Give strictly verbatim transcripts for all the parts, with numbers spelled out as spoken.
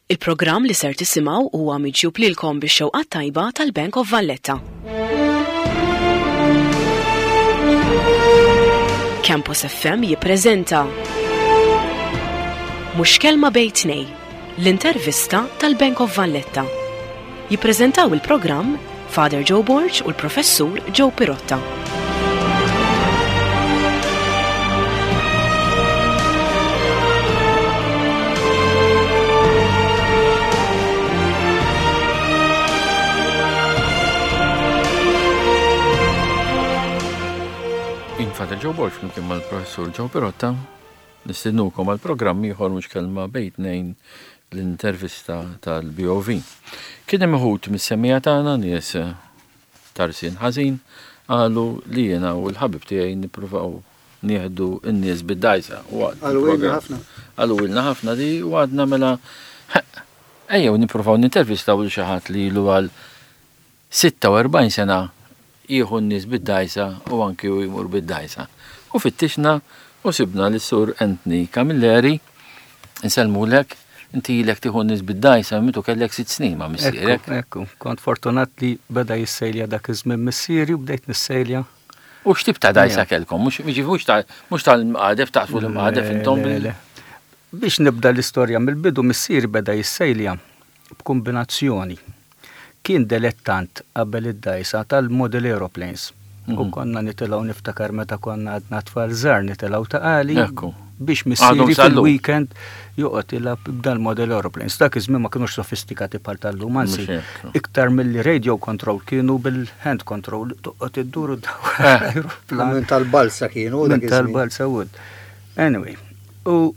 Il-programm li ser tisimgħu huwa miġjub lilkom bix-xewqa tajba tal-Bank of Valletta. Campus F M jippreżenta Mhux Kelma Bejn Tnejn, l-intervista tal-Bank of Valletta. Jippreżentaw il-programm Father Joe Borg u l-Professur Joe Pirotta. Jien Father Joe Borg flimkien mal-Professur Joe Pirotta nistednukom għal programm ieħor Mhux Kelma Bejn Tnejn, l-intervista tal-B O V. Kien hemm uħud mis-semmiegħa tagħna, nies tarsin ħażin, qalu li jiena u l-ħabib tiegħi nippruvaw nieħdu n-nies bid-dajsa. Qalu ilna ħafna. Qalu ilna ħafna di u għadna mela ejjew nippruvaw nintervistaw lil xi ħadd li ilu għal sitta u erbgħin sena jieħu n-nies bid-dajsa u anki u jmur bid-dajsa. U fittixna u sibna lis-Sur Anthony Camilleri, insellmulek, inti ilek tieħu n-nies bid-dajsa mitu kellek sitt snin ma' missierek. Ekku, ekku, kont fortunat li beda jissejlja dak iż-żmien missieri u bdejt nissejlja. U x'tip ta' dajsa kellkom? Mhux mhux ta' mhux tal-mqadef, taqsmu l-mqadef intom Le, bil- le. Biex nibda l-istorja mill-bidu, missieri beda jissejlja b'kombinazzjoni. Kien delettant qabel id-dajsa tal-model aeroplanes. U Mhm. konna nitilgħu, niftakar meta konna għadna tfal żgħar, nitilgħu Ta' Qali Ekku. biex Għadhom missieri sal-lum. fil-weekend joqgħod jilgħab b'dal-model aeroplanes. Dak iż-żmien ma kinux sofistikati bħal tal-lum, anzi Mhux hekk. iktar mill-li radio control kienu bil-hand control, toqgħod iddur u dawar Eh. aeroplan. Minn tal-balsa kienu dak Minn iż-żmien. tal-balsa wood. Anyway, u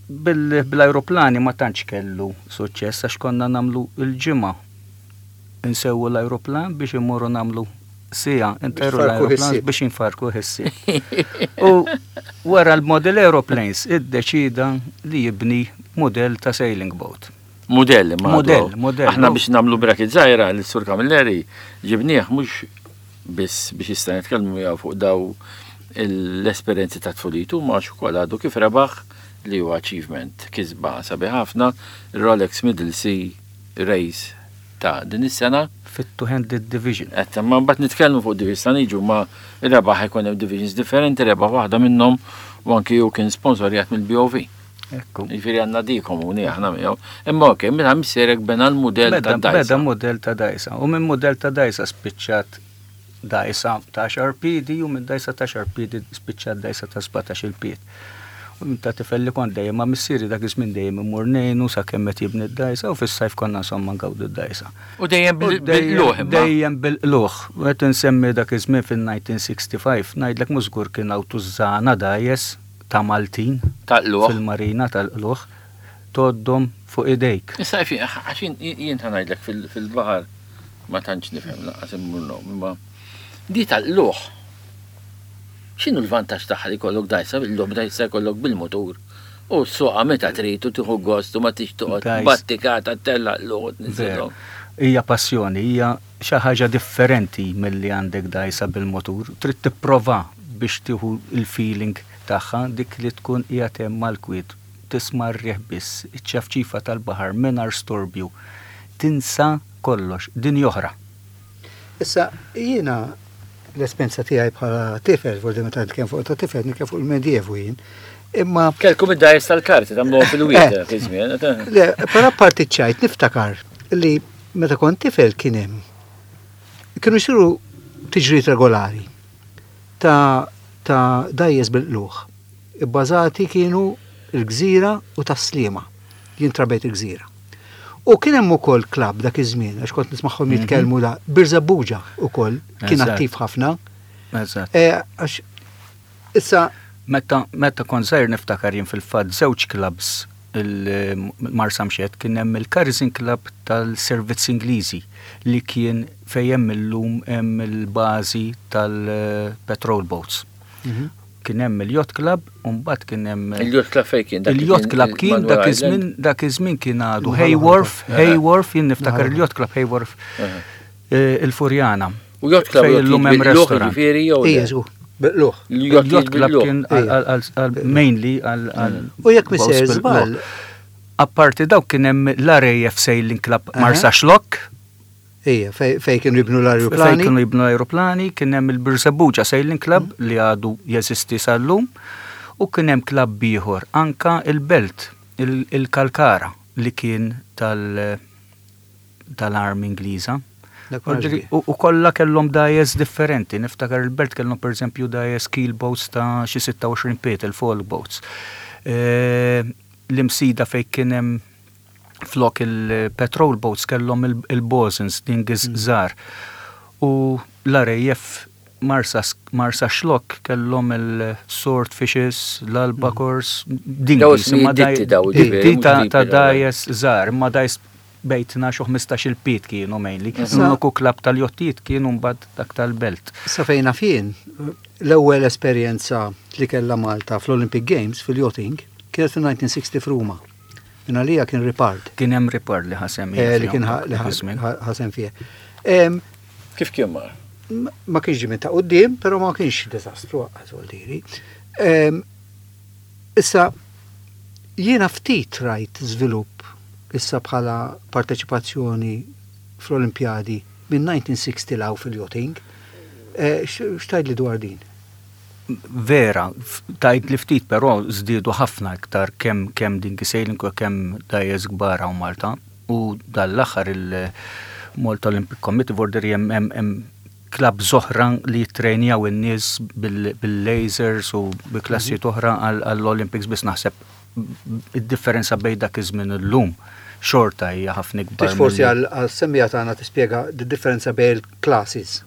bil- bil-aeroplani ma tantx kellu suċċess għax konna nagħmlu il-ġimgħa insewwu l-aeroplan biex immorru nagħmlu siegħa intajru farku l-aeroplan ħissieb. biex infarku ħissieb. U wara l-model aeroplanes iddeċida li jibni model ta' sailing boat. Modell, ma Modell, għadu. modell. Aħna biex nagħmlu bracket żgħira l-Sur Camilleri ġibnieh mhux biss biex jista' nitkellmu miegħu fuq daw l-esperjenzi ta' tfulitu, ma ukoll għadu kif rebaħ li huwa achievement, kisba sabiħ ħafna, Rolex Middle Sea Race ta' din is-sena. Fit-two-handed division. Qed ma mbagħad nitkellmu fuq division niġu ma rebaħ, ikun hemm divisions differenti, rebaħ waħda minnhom u anki hu kien sponsorjat mill-B O V. Ekku. Jiġifieri għandna di komuni aħna miegħu. Imma okej, meta missierek bena l-mudell ta' Beda, beda dajsa. model ta' dajsa. U minn model ta' dajsa spiċċat dajsa ta' għaxar piedi u minn dajsa ta' għaxar piedi spiċċat dajsa ta' sbatax-il pied. U minn ta' tifel li kont dejjem ma' missieri dak iż-żmien dejjem immur ngħinu sakemm qed jibni d-dajsa u fis-sajf konna insomma ngawdu d-dajsa. U dejjem U bil- dejjem- bil-qlugħ imma. Dejjem bil-qlugħ. Qed insemmi dak iż-żmien fil-elf disa' mija u sitta u ħamsin, ngħidlek mhux żgur kien hawn tużżana dgħajjes ta' Maltin Ta' qlugħ. fil-marina tal-qlugħ tgħoddhom fuq idejk. Issa fi għax jien ħa ngħidlek fil- fil-baħar ma tantx nifhem lanqas immur ngħum, imma di tal-qlugħ. X'inhu l-vantaġġ tagħha li jkollok dajsa bil-qlugħ, dajsa jkollok bil-mutur? U ssuqha meta trid u tieħu gost u ma tix toqgħod Dajs. battikata tella' qlugħ u Veru. tniżilhom. Hija passjoni, hija xi ħaġa differenti milli għandek dajsa bil-motur. Trid tipprova biex tieħu il-feeling tagħha, dik li tkun qiegħed hemm mal-kwiet, tisma' r-riħ biss, iċ-ċafċifa tal-baħar mingħajr storbju. Tinsa kollox, din oħra. Issa, jiena l-esperienza tiegħi bħala tifel, forsi meta nitkellem fuq ta' tifel, nitkellem fuq il-medievu jien. Imma Kelkom id-dajs tal-karti tagħmluhom fil-wied Eh. dak iż-żmien. eh. Le, però parti ċajt niftakar li meta kont tifel kien hemm kienu jsiru tiġrijiet regolari ta' ta' dgħajjes bil-qlugħ. Ibbażati kienu il-Gżira u Tas-Sliema. Jien trabejt il-Gżira. U kien hemm ukoll klabb dak iż-żmien, għax kont nismagħhom jitkellmu da Birżebbuġa ukoll kien Eżatt. attiv ħafna. Eżatt. Eh, Għax issa Meta meta kont żgħir niftakar jien fil-fatt żewġ clubs il-Marsamxett, kien hemm il-Carizin Club tal-Servizz Ingliżi li kien fejn hemm illum hemm il-bażi tal-patrol boats. Kien hemm il-Yacht Club u mbagħad kien hemm Il-Yacht Club fejn kien? Dak li Il-Yacht kien Club kien Manuel dak Island? iż-żmien dak iż-żmien kien għadu Naħa Hayworth, l-oħra. Hayworth, jien niftakar Naħa il-Yacht Club Hayworth, Aha. eh, il-Furjana. U Yacht Club Fejn illum hemm bil-qlugħ restaurant. jiġifieri jew le? Ija, żgur, bil-qlugħ. Il-Yacht Il-Yacht Club bil-qlugħ. kien għal- għal- għal- mainly għal għal U jekk boats misser bil-qlugħ. żball, Apparti daw kien hemm l-R A F Sailing Club Marsaxlokk. Ija, fej kienu jibnu Fejn l-aeroplani. Kienu jibnu l-aeroplani, kien hemm il-Birżebbuġa Sailing Club li għadu jeżisti sal-lum, u kien hemm klabb ieħor anka il-Belt, il- il-Kalkara li kien tal- tal-Army Ingliża. Dak ma Ordri- nafx. U u kollha kellhom dgħajjes differenti. Niftakar il-Belt kellhom pereżempju dgħajjes keel boats ta' xi sitta u għoxrin pied, il-folk boats. Eh, L-Imsida fejn kien hemm flok il-petrol boats kellhom il- il-bosuns dinghies żgħar. U l-R A F Marsa, Marsaxlokk kellhom il-swordfishes, l-albacores, dinghies. Daw Imma ditti daw, ditti ġifieri, ta' mhux ta' tipi dgħajjes żgħar, imma dgħajjes bejn tnax u ħmistax il-pied kienu mainly. Issa- L-uniku klabb tal-jottijiet kienu mbagħad dak tal-Belt. Sa fejn fien, l-ewwel esperjenza li kella Malta fl-Olympic Games fil-yachting kienet fil-elf disa' mija u sitta f'Ruma. Min għalija kien Ripard. Kien hemm Ripard li ħasem eh, li kien ħa- li ħa- ħasem fih. Em, Kif kien mar? Ma ma kienx ġie minn ta' quddiem, però ma kienx diżastru għaz diri. Em, Issa, jiena ftit rajt żvilupp issa bħala parteċipazzjoni fl-Olimpjadi minn elf disa' mija u sitta 'l hawn fil-yachting. Eh, X'tgħid li dwar din? Vera, f- tajt li ftit, però żdiedu ħafna iktar kemm kemm dinghy sailing u kemm dgħajjes kbar hawn Malta. U dal-aħħar il-Malta Olympic Committee vorderi hemm hemm hemm klabb oħra li jittrejnjaw in-nies bil- bil-lasers u bi klassijiet oħra għall-Olympics, biss naħseb id-differenza bejn dak iż-żmien illum xorta hija ħafna ikbar. Tix forsi mill- għal-semmiegħa tagħna tispjega d-differenza bejn il-classes.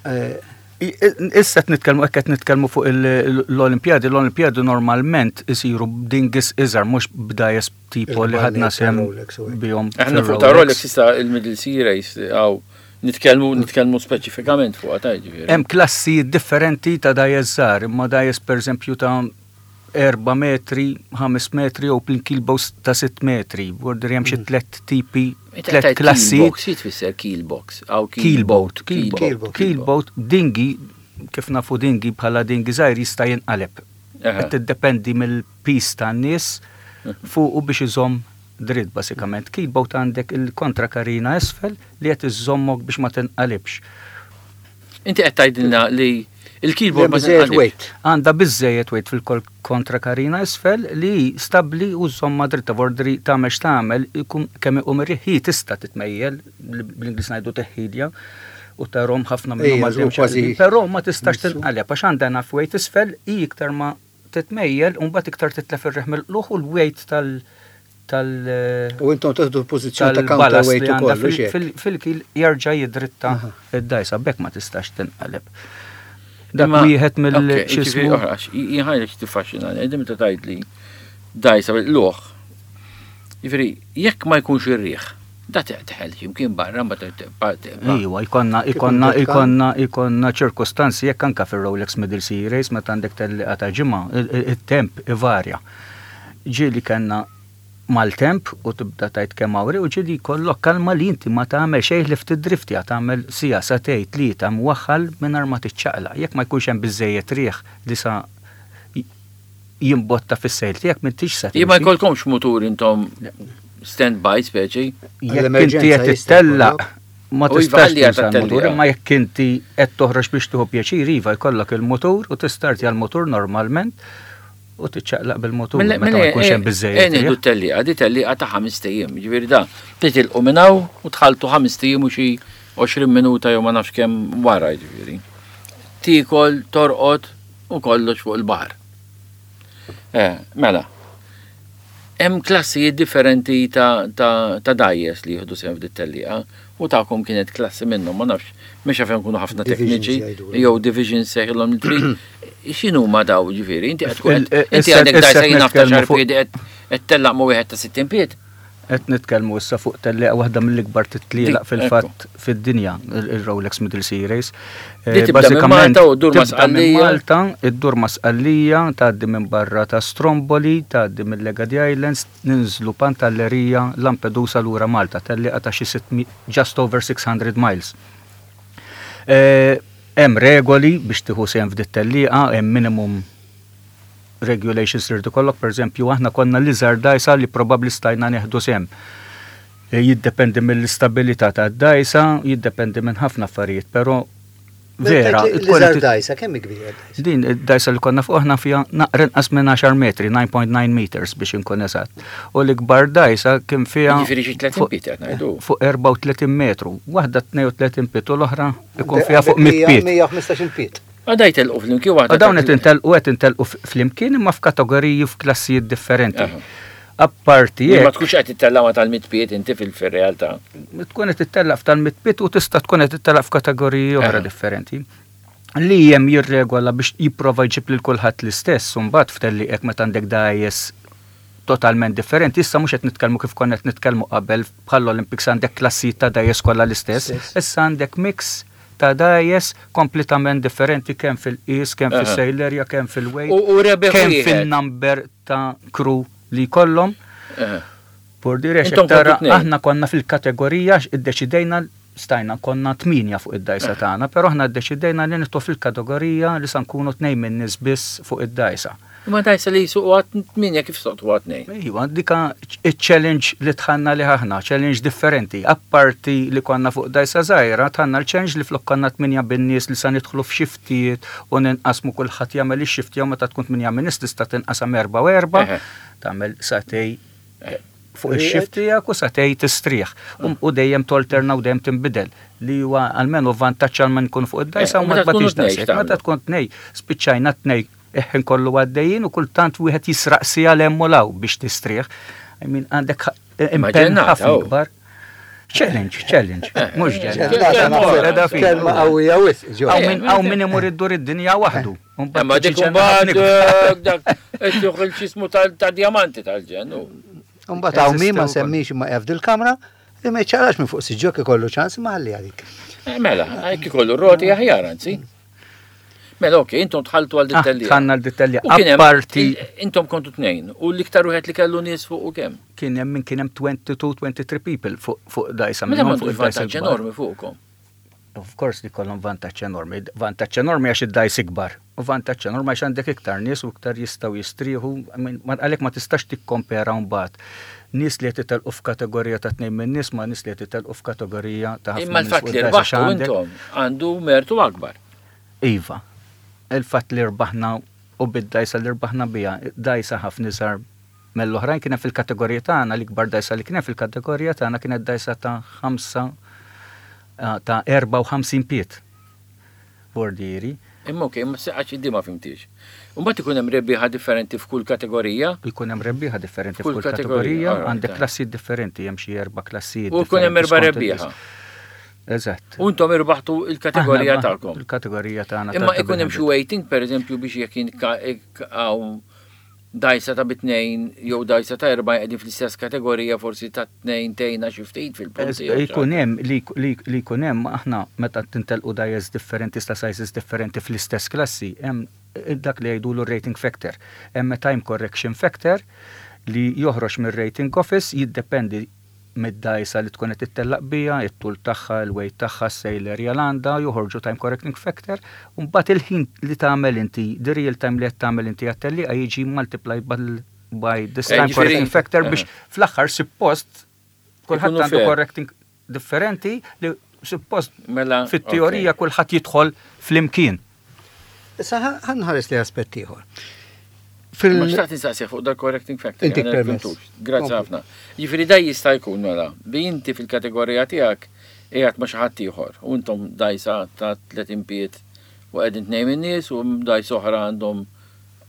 Eh, I- Issa qed nitkellmu hekk qed nitkellmu fuq il- l-Olimpjadi, l-Olimpjadi normalment isiru b'dinghies iżgħar, mhux b'dgħajjes tipo li ħadna sem Rolex u hekk. bihom. Aħna fuq ta' Rolex issa il-Middle Sea Race għaw nitkellmu nitkellmu speċifikament fuq ta' ġifieri. Hemm klassi differenti ta' dgħajjes żgħar, imma dgħajjes pereżempju ta' erba' metri, ħames metri u keel boats ta' sitt metri. Vorder hemm xi tliet tipi, tliet klassi. Keel box, tfisser keel box. Aw Keel boat, keel keel Keel boat, boat. keel boat, dinghy, kif nafu dinghy bħala dinghy żgħir jista' jinqaleb. Aha. Qed tiddependi mill-piż tan-nies fuq u biex iżomm dritt basikament. Keel boat għandek il-kontra karina isfel li qed iżommok biex ma tinqalibx. Inti qed tgħidilna li il-keel boat Hemm ma biżejjed tinqalibx. weight. Għandha biżejjed weight fil-kontra karina isfel li stabli u żomma dritta, vordri tagħmel x'tagħmel ikun kemm iqum ir-riħ hi tista' titmejjel, li bl-Ingliż ngħidu teħħilja, u tarahom ħafna minnhom Ejja, għaddejjem kważi xaqlibin, però ma tistax missu. tinqaleb għax għandha enough weight isfel i iktar ma titmejjel u mbagħad iktar titlef ir-riħ mill-qluħ u l-weight tal tal U intom teħdu pożizzjoni ta' tal-ballast counterweight li u għandha kollu xek. fil- fil-keel jerġa' jidritta Aha. id-dgħajsa, bekk ma tistax tinqaleb. Dak Imma- wieħed mill Ok, ġifieri x'ismu oħra, jien tiffaxxina, qegħdin meta tgħid li dgħajsa bil-qluħ. Jiġifieri, jekk ma jkunx ir-riħ, da teħel jimkien barra ma Iwa, jkollna, jkollna, jkollna, jkollna ċirkostanzi jekk anka fil-Rolex Middle Sea Race meta għandek tellieqa ta' ġimgħa, il-temp ivarja. Ġieli kellna mal-temp u tibda tgħid kemm hawn riħ u ġieli jkollok kalma li inti ma tagħmel xejn li ftit drifti tagħmel siegħa, sagħtejn, tlieta mwaħħal mingħajr ma tiċċaqla. Jekk ma jkunx hemm biżejjed riħ li sa jimbotta fis-sail tiegħek m'intix sa Jien ma timxi. jkollkomx mutur intom stand-by speċi. Jekk inti Għall-emerġenza qed jista' tittellaq jkollok. ma U iva, tistax għalli għad tuża l-mutur, tellieqa. imma jekk inti qed toħroġ biex tieħu pjaċir, iva jkollok il-mutur u tistartja l-mutur normalment u tiċċaqlaq bil-mutur meta ma jkunx hemm biżejjed. Nieħdu riħ. tellieqa, di tellieqa ta' ħames ijiem, ġifieri da titilqu minn hawn u tħaltu ħames ijiem u xi għoxrin minuta jew ma nafx kemm wara ġifieri. Tiekol, torqod u kollox fuq il-baħar. Eh, mela. Hemm klassijiet differenti ta' ta' ta' dgħajjes li jieħdu sehem f'dit tellieqa u tagħkom kienet klassi minnhom, ma nafx, mhux għax nkunu ħafna Divisions tekniċi, jgħidulhom. jew divisions sejħilhom li trid. X'inhu ma daw ġifieri? Inti qed tkun Il- il- inti issa- għandek issa dgħajsa jien naf ta' nitkellmu xar fuq- piedi qed qed tellaq ma' wieħed ta' sittin pied. Qed nitkellmu issa fuq tellieqa waħda mill-ikbar titlielaq Dik, fil-fatt fid-dinja, il-Rolex Middle Sea Race. Eh, Di tibda minn Malta u ddur ma' tibda minn Sqallija. Malta, iddur ma' Sqallija, tgħaddi minn barra ta' Stromboli, tgħaddi minn Legadi Islands, ninżlu Pantelleria, Lampedusa lura Malta, tellieqa ta' xi sitt mi- just over six hundred miles. Eh, Hemm regoli biex tieħu sehem f'dit tellieqa, hemm minimum regulations li rridu kollok, per eżempju, aħna konna l-iżgħar dgħajsa li probabbli stajna nieħdu sehem. E, Jiddependi mill-istabilità ta' dgħajsa, jiddependi minn ħafna affarijiet, però vera, tkun L-iżgħar qed- dgħajsa, kemm hi kbira dgħajsa? Din id-dgħajsa li konna fuq aħna fiha naqra inqas minn għaxar metri, disa punt tnejn meters biex inkun eżatt. U l-ikbar dgħajsa kien fiha Jiġifieri xi tletin fuq- piet qed ngħidu. fuq erbgħa u tletin metru. Waħda tnejn u tletin piet u l-oħra ikun fiha fuq mitt piet. mija u ħmistax-il piet. Għadaj telqu flimkien waħda. U dawn ta' qed intelqu qed intelqu flimkien imma f'kategoriji, f'klassijiet differenti. Aha. Apparti Ma jekk tkunx qed tittella' ma tal-mitt piet inti fil-realtà. Tkun qed tittellaq f'tal-mitt piet u tista' tkun qed tittellaq f'kategoriji oħra Aha. differenti. Li hemm jirregola biex jipprova jġib lil kulħadd l-istess, u mbagħad f'tellieq meta għandek dgħajjes totalment differenti. Issa mhux qed nitkellmu kif konna qed nitkellmu qabel, bħall-Olympics, għandek klassijiet ta' dgħajjes kollha l-istess. Stess. Issa għandek mix ta' dgħajjes kompletament differenti kemm fil-qis, kemm Aha. fis-sail area, kemm fil-weight, U u rebeħ kemm wieħed. fil-number ta' crew li jkollhom. Aha. Por dire Intom tara kontu tnejn. Aħna konna fil-kategorija għax iddeċidejna, stajna konna tminja fuq id-dgħajsa tagħna, però aħna ddeċidejna li nidħlu fil-kategorija li sa nkunu tnejn minn nies biss fuq id-dgħajsa. Ma dgħajsa li jisuq għat tminja, kif soqtu għat tnejn? Iva, dika il-challenge li dħalna li aħna, challenge differenti. Apparti li konna fuq dgħajsa żgħira, dħalna l-challenge li flok konna tminja bin-nies li sa nidħlu f'xiftijiet u ninqasmu, kulħadd jagħmel ix-shift jew meta tkun tminja min nies tista' tinqasam erba' u erba', Eħe. tagħmel sagħtejn fuq ix-shift tiegħek u sagħtejn tistrieħ. U- U dejjem tolterna u dejjem tinbidel, li huwa almenu vantaġġ għal man jkun fuq id-dgħajsa Eh, u ma meta tkunu tbatix tnejn dgħajsa. x'tagħmlu? Meta tkun tnejn, spiċċajna tnejn eħen kollu għaddejjin u kultant wieħed jisraq siegħa 'l hemm u 'l hawn biex tistrieħ. I mean, għandek impenn ġennata, ħafna oh. ikbar. Challenge, challenge, mhux Ġennata, ġennata. naħseb, kelma qawwija wisq, ġo. Hawn min hawn min imur iddur id-dinja waħdu. Ma dik imbagħad eh, dak qed joħol x'ismu ta' diamanti tal-ġen. u. Mbagħad hawn min ma Eżistew ukoll. semmix ma jaf dil-kamra li ma jċarax minn fuq siġġok ikollu ċans ma ħalli għalik. Eh, Mela, hekk ikollu roti aħjar anzi. Mela, ok, intom dħaltu għal Ah, dit tellieqa. Dħalna l-dit-tellieqa. U kien hemm- Apparti Intom kontu tnejn, u l-iktar wieħed li kellu nies fuq u kemm? Kien hemm min kien hemm tnejn u għoxrin, tlieta u għoxrin people fuq fuq dgħajsa Mela minnhom m'għandux fuq id-dgħajsa vantaġġ kbar. enormi fuqkom. Of course li kollhom vantaġġ enormi. Vantaġġ enormi għax id-dgħajs ikbar. U vantaġġ enormi għax għandek iktar nies u iktar jistgħu jistrieħu. I mean, ma- Għalhekk ma tistax tikkompera mbagħad nies li qed itelqu f'kategorija ta' tnejn minn nies ma' nies li qed itelqu f'kategorija ta' ħafna Imma nies l-fatt fuq li id-dgħajsa għax rbaħtu għandek- intom għandu mertu akbar. Iva. Il-fatt li rbaħna u bid-dgħajsa li rbaħna bija, dgħajsa ħafna iżgħar mill-oħrajn kien hemm fil-kategorija tagħna, l-ikbar dgħajsa li kien hemm fil-kategorija tagħna kienet dgħajsa ta' ħamsa ah, ta' erbgħa u ħamsin piet. Bordieri. Imma ok, imma seqax di ma fhimtix. Imbagħad ikun hemm rebbieħa differenti f'kull kategorija. Jkun hemm rebbieħa differenti F'kull f'kull kategorija, kategorija, alright, għandek eh. klassijiet differenti, hemm xi erba' klassijiet. U jkun hemm differenti erba' skont rebbieħa. il- Eżatt. U intom irbaħtu il-kategorija Aħna tagħkom. Il-kategorija tagħna. Imma ta' ikun hemm xi waiting, per eżempju, biex jekk hawn dgħajsa ta' bitnejn jew dgħajsa ta' erba' qegħdin fl-istess kategorija, forsi ta' tnejn tejna xi ftit fil-punti. jew xi Jkun hemm li li li jkun hemm, aħna meta tintelqu dgħajjes differenti ta' sizes differenti fl-istess klassi, hemm dak li jgħidulu rating factor. Hemm time correction factor li joħroġ mir-rating office, jiddependi mid-dgħajsa li tkun qed tittellaq bija, it-tul tagħha, il-weight tagħha, s-sail area l għandha, joħorġu time correcting factor, u mbagħad il-ħin li tagħmel inti, the real time li qed tagħmel inti għat-tellieqa jiġi multiplied by, by this Eh, time ġifieri- correcting factor biex fl-aħħar suppost kulħadd Ikunu għandu fair. correcting differenti li suppost Mela, fit-teorija ok. kulħadd jidħol flimkien. Issa ħa nħares li aspett ieħor. Ma Fil xtaqt insaqsi fuq dal correcting factor. Intik għana permess. fhimtux. Grazzi Kompli. ħafna. Jiġifieri da jista' jkun mela, bi inti fil-kategorija tiegħek qiegħed ma' xi ħadd ieħor u intom dgħajsa ta' tletin piet u qegħdin tnejn min-nies u dgħajsa oħra għandhom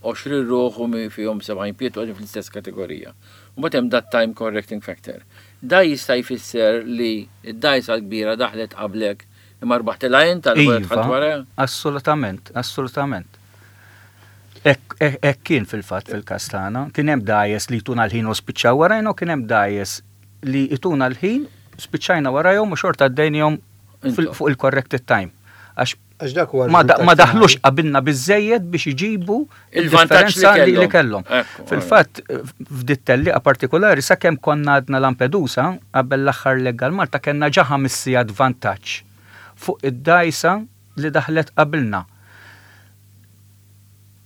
għoxrin ruħ u mi fihom sebgħin piet u qegħdin fl-istess kategorija. U mbagħad hemm dat time correcting factor. Da jista' jfisser li d-dgħajsa l-kbira daħlet qablek imma rbaħtilha int għal Iva, wara. assolutament, assolutament. Hekk hekk kien fil-fatt fil-każ tagħna. Kien hemm dgħajjes li jtuna l-ħin u spiċċaw warajna u kien hemm dgħajjes li jtuna l-ħin, spiċċajna warajhom u xorta għaddejnihom fil- Intom. fuq il-corrected time. Għax Għax dak huwa ma, da, ma r-riżultat daħlux finali. qabilna biżejjed biex iġibu Il-vantaġġ li il-differenza li, li kellhom. kellhom. Ekku, Fil-fatt, f'dit tellieqa partikolari, sakemm konna għadna Lampedusa, qabel l-aħħar leg għal Malta, kellna ġa ħames sigħat vantaġġ fuq id-dgħajsa li daħlet qabilna.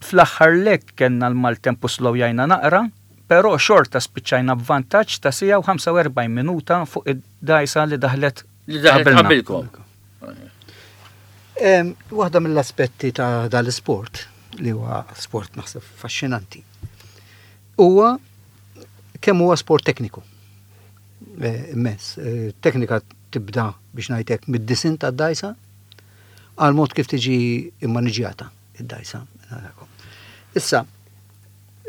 Fl-aħħar leg kellna l-maltemp u slowjajna naqra, però xorta spiċċajna b'vantaġġ ta' siegħa u ħamsa u erbgħin minuta fuq id-dajsa li daħlet Li daħlet qabilna. qabilkom. Em, Waħda mill-aspetti ta' dal-sport, li huwa sport naħseb faxxinanti, huwa kemm huwa sport tekniku. Eh, Immens. Eh, Teknika tibda, biex ngħidlek, mid-disinn tad-dajsa għal mod kif tiġi immaniġjata id-dajsa. Issa,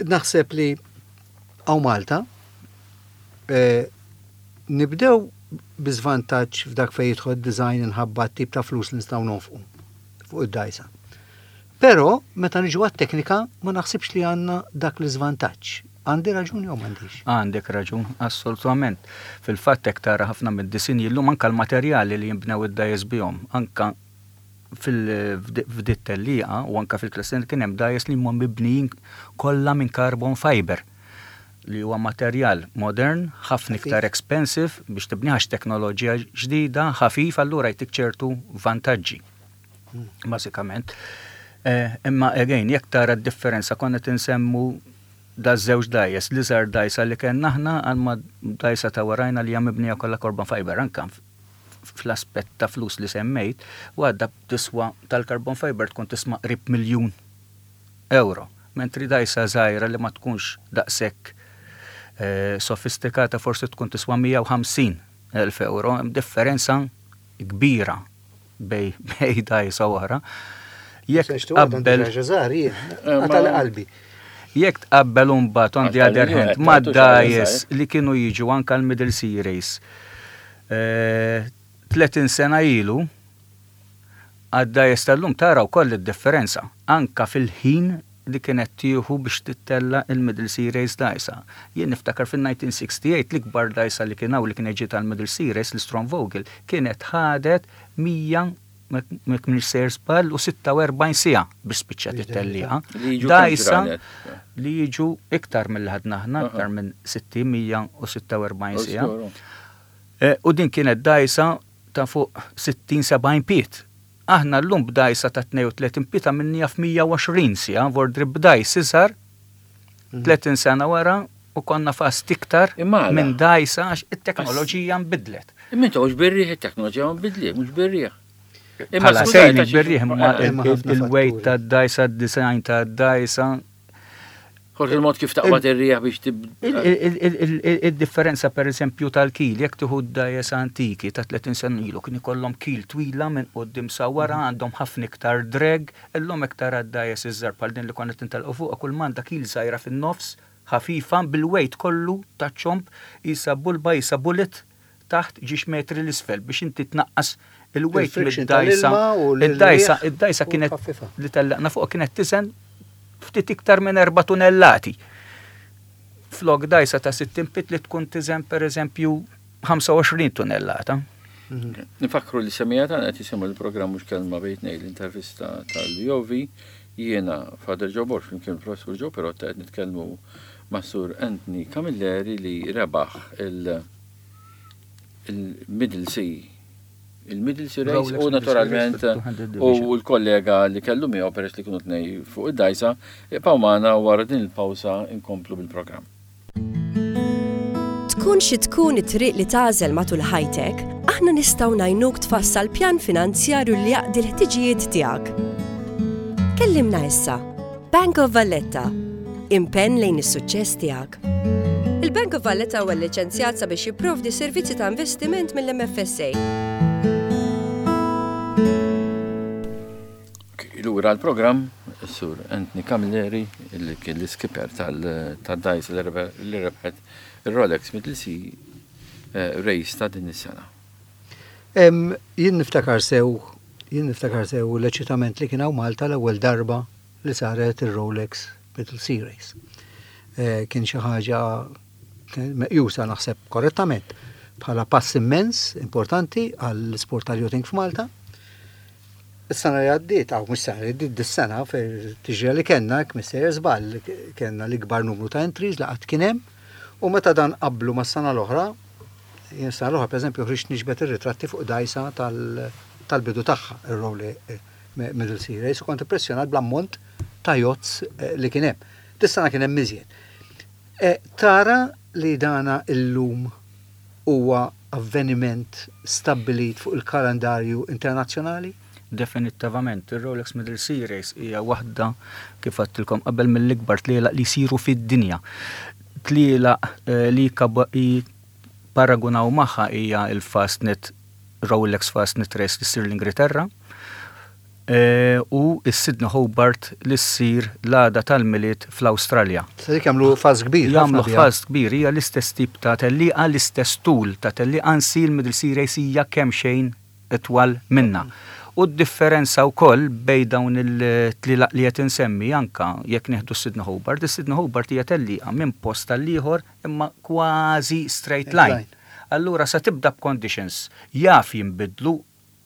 naħseb li hawn Malta eh, nibdew bi żvantaġġ f'dak fejn jidħol design inħabba tip ta' flus li nistgħu nonfqu fuq id-dajsa. Però meta niġu għat-teknika ma naħsibx li għandna dak l-iżvantaġġ. Għandi raġun jew m'għandix? Għandek raġun, assolutament. Fil-fatt hekk tara ħafna mid-disinji llum, anka l-materjali li jinbnew id-dgħajjes bihom, anka f'din it-tellieqa u anka fil-klassin kien hemm dgħajjes li huma mibnijin kollha minn carbon fiber, li huwa materjal modern, ħafna iktar expensive biex tibniħax, teknoloġija ġdida, ħafif, allura jtik ċertu vantaġġi. Hmm. Bażikament. Eh, imma again, jekk tara d-differenza, konna tinsemmu da żewġ dgħajjes, l-iżgħar dgħajsa li kellna aħna għal ma dgħajsa ta' warajna li hija mibnija kollha carbon fiber, anka fl-aspett ta' flus li semmejt, u għadda tiswa tal-carbon fiber tkun tisma' qrib miljun euro. Mentri dgħajsa żgħira li ma tkunx daqshekk eh, sofistikata forsi tkun tiswa mija u ħamsin elf euro, hemm differenza kbira bejn bejn dgħajsa oħra. Jekk tqabbel qalbi. Jekk tqabbel imbagħad, on the other hand, ma' dgħajjes li kienu jiġu anka l-Middle Sea Race tletin sena ilu, għad-dgħajjes tal-lum, tara wkoll id-differenza anka fil-ħin li kienet tieħu biex tittella il-Middle Sea Race dgħajsa. Jien niftakar fil-elf disa' mija u sitta u disgħin l-ikbar dgħajsa li kien hawn li kienet ġiet għal-Middle Sea Race, l-Strong Vogel, kienet ħadet mija, minn sejr żball, u sitta u erbgħin siegħa biex spiċċat it-tellieqa. Dgħajsa li jiġu iktar mill ħadna aħna, iktar minn sittin, mija u sitta u erbgħin siegħa. Eh, u din kienet dgħajsa ta' fuq sittin sebgħin pied. Aħna l-lum b'dgħajsa ta' tnejn u tletin pied għamilnieha f'mija u għoxrin siegħa, vordri b'dgħajsa iżgħar, tletin sena wara u konna fast iktar minn dgħajsa, għax it-teknoloġija nbidlet. Imma intu mhux bir-riħ, it-teknoloġija nbidlet, mhux bir-riħ. Imma sejni bir-riħ, imma il-weight ta' dgħajsa, design ta' dgħajsa. Forsi il-mod kif taqbad ir-riħ biex tib. Il-differenza per eżempju tal-kil, jekk tieħu dgħajjes antiki ta' tletin sena ilu, kien ikollhom kil twila minn quddiem sa wara, għandhom ħafna iktar drag. Illum iktar għad-dgħajjes iż-żgħar bħal din li konna tintelqu fuq, kull m'għandha kil żgħira fin-nofs, ħafifa, bil-weight kollu ta' ċomb, isa bulba, isa bullet taħt ġiex metri l-isfel biex inti tnaqqas il-weight mid-dgħajsa. Id-dgħajsa, id-dgħajsa kienet li tellaqna fuq kienet tiżen ftit iktar minn erba' tunellati. Flok dgħajsa ta' sittin pied li tkun tiżen per eżempju ħamsa u għoxrin tunnellata. Mhm. Nifakru li semmiegħa tagħna qed jisimgħu l-programm Mhux Kelma Bejn Tnejn, l-intervista tal-Jovi. Jiena Father Joe Borg flimkien professur Joe Perotta qed nitkellmu ma' Sur Anthony Camilleri li rebaħ il- il-Middle Sea il-Middle Sea Race u naturalment u l-kollega li kellu miegħu, peress li kienu tnej fuq id-dgħajsa. Ibqgħu magħna, wara din il-pawsa inkomplu bil-programm. Tkun xi tkun it-triq li tagħżel matul ħajtek, aħna nistgħu ngħinuk tfassal pjan finanzjarju li jaqdi l-ħtiġijiet tiegħek. Kellimna issa. Bank of Valletta. Impenn lejn is-suċċess tiegħek. Il-Bank of Valletta huwa liċenzjat sabiex jipprovdi servizzi ta' investiment mill-M F S A. Lura l-programm, Sur Anthony Camilleri, li kien l-skipper tad-dgħajsa li rebħet il-Rolex Middle Sea eh, Race ta' din is-sena. Jien niftakar sew, jien niftakar sew l-eċitament li kien hawn Malta l-ewwel darba li saret il-Rolex Middle Sea Race. Eh, kien xi ħaġa meqjusa, naħseb korrettament, bħala pass immens importanti għall-sport tal-yachting f'Malta. Is-sena li għaddiet, għaw mhux sena li għaddiet, dis-sena fil-tiġrija li kellna, mister żball, kellna l-ikbar numru ta' entries li qatt kien hemm, u meta dan qablu ma' sena l-oħra, jien sena l-oħra pereżempju ħriġt niġbed ir-ritratti fuq dgħajsa tal-bidu tagħha, ir-Rolex Middle Sea Race, u kont impressjonat bl-ammont ta' yachts eh, li kien hemm. Dis-sena kien hemm iżjed. Eh, Tara li dana illum huwa avveniment stabbilit fuq il-kalendarju internazzjonali? Definitivament, il-Rolex Middle Sea Race hija waħda, kif għedtilkom qabel, mill-ikbar tlielaq li jsiru fid-dinja. Tlielaq eh, li kaba- i- paragunaw magħha hija il-Fastnet, Rolex Fastnet Race li ssir l-Ingilterra eh, u s-Sydney Hobart li ssir l-għada tal-Milied fl-Awstralja. Se dik jagħmlu fuss kbir. Jagħmlu ħafna biha. Fuss kbir, hija l-istess tip ta' tellieqa, l-istess tul ta' tellieqa, ansi l-Middle Sea Race hija kemm xejn itwal minna. U d-differenza wkoll bejn dawn il-tlielaq li qed insemmi, anka jekk nieħdu Sydney Hobart, is-Sydney Hobart hija tellieqa minn post tal-ieħor imma kważi straight line. Line. Allura sa tibda b'conditions jaf jinbidlu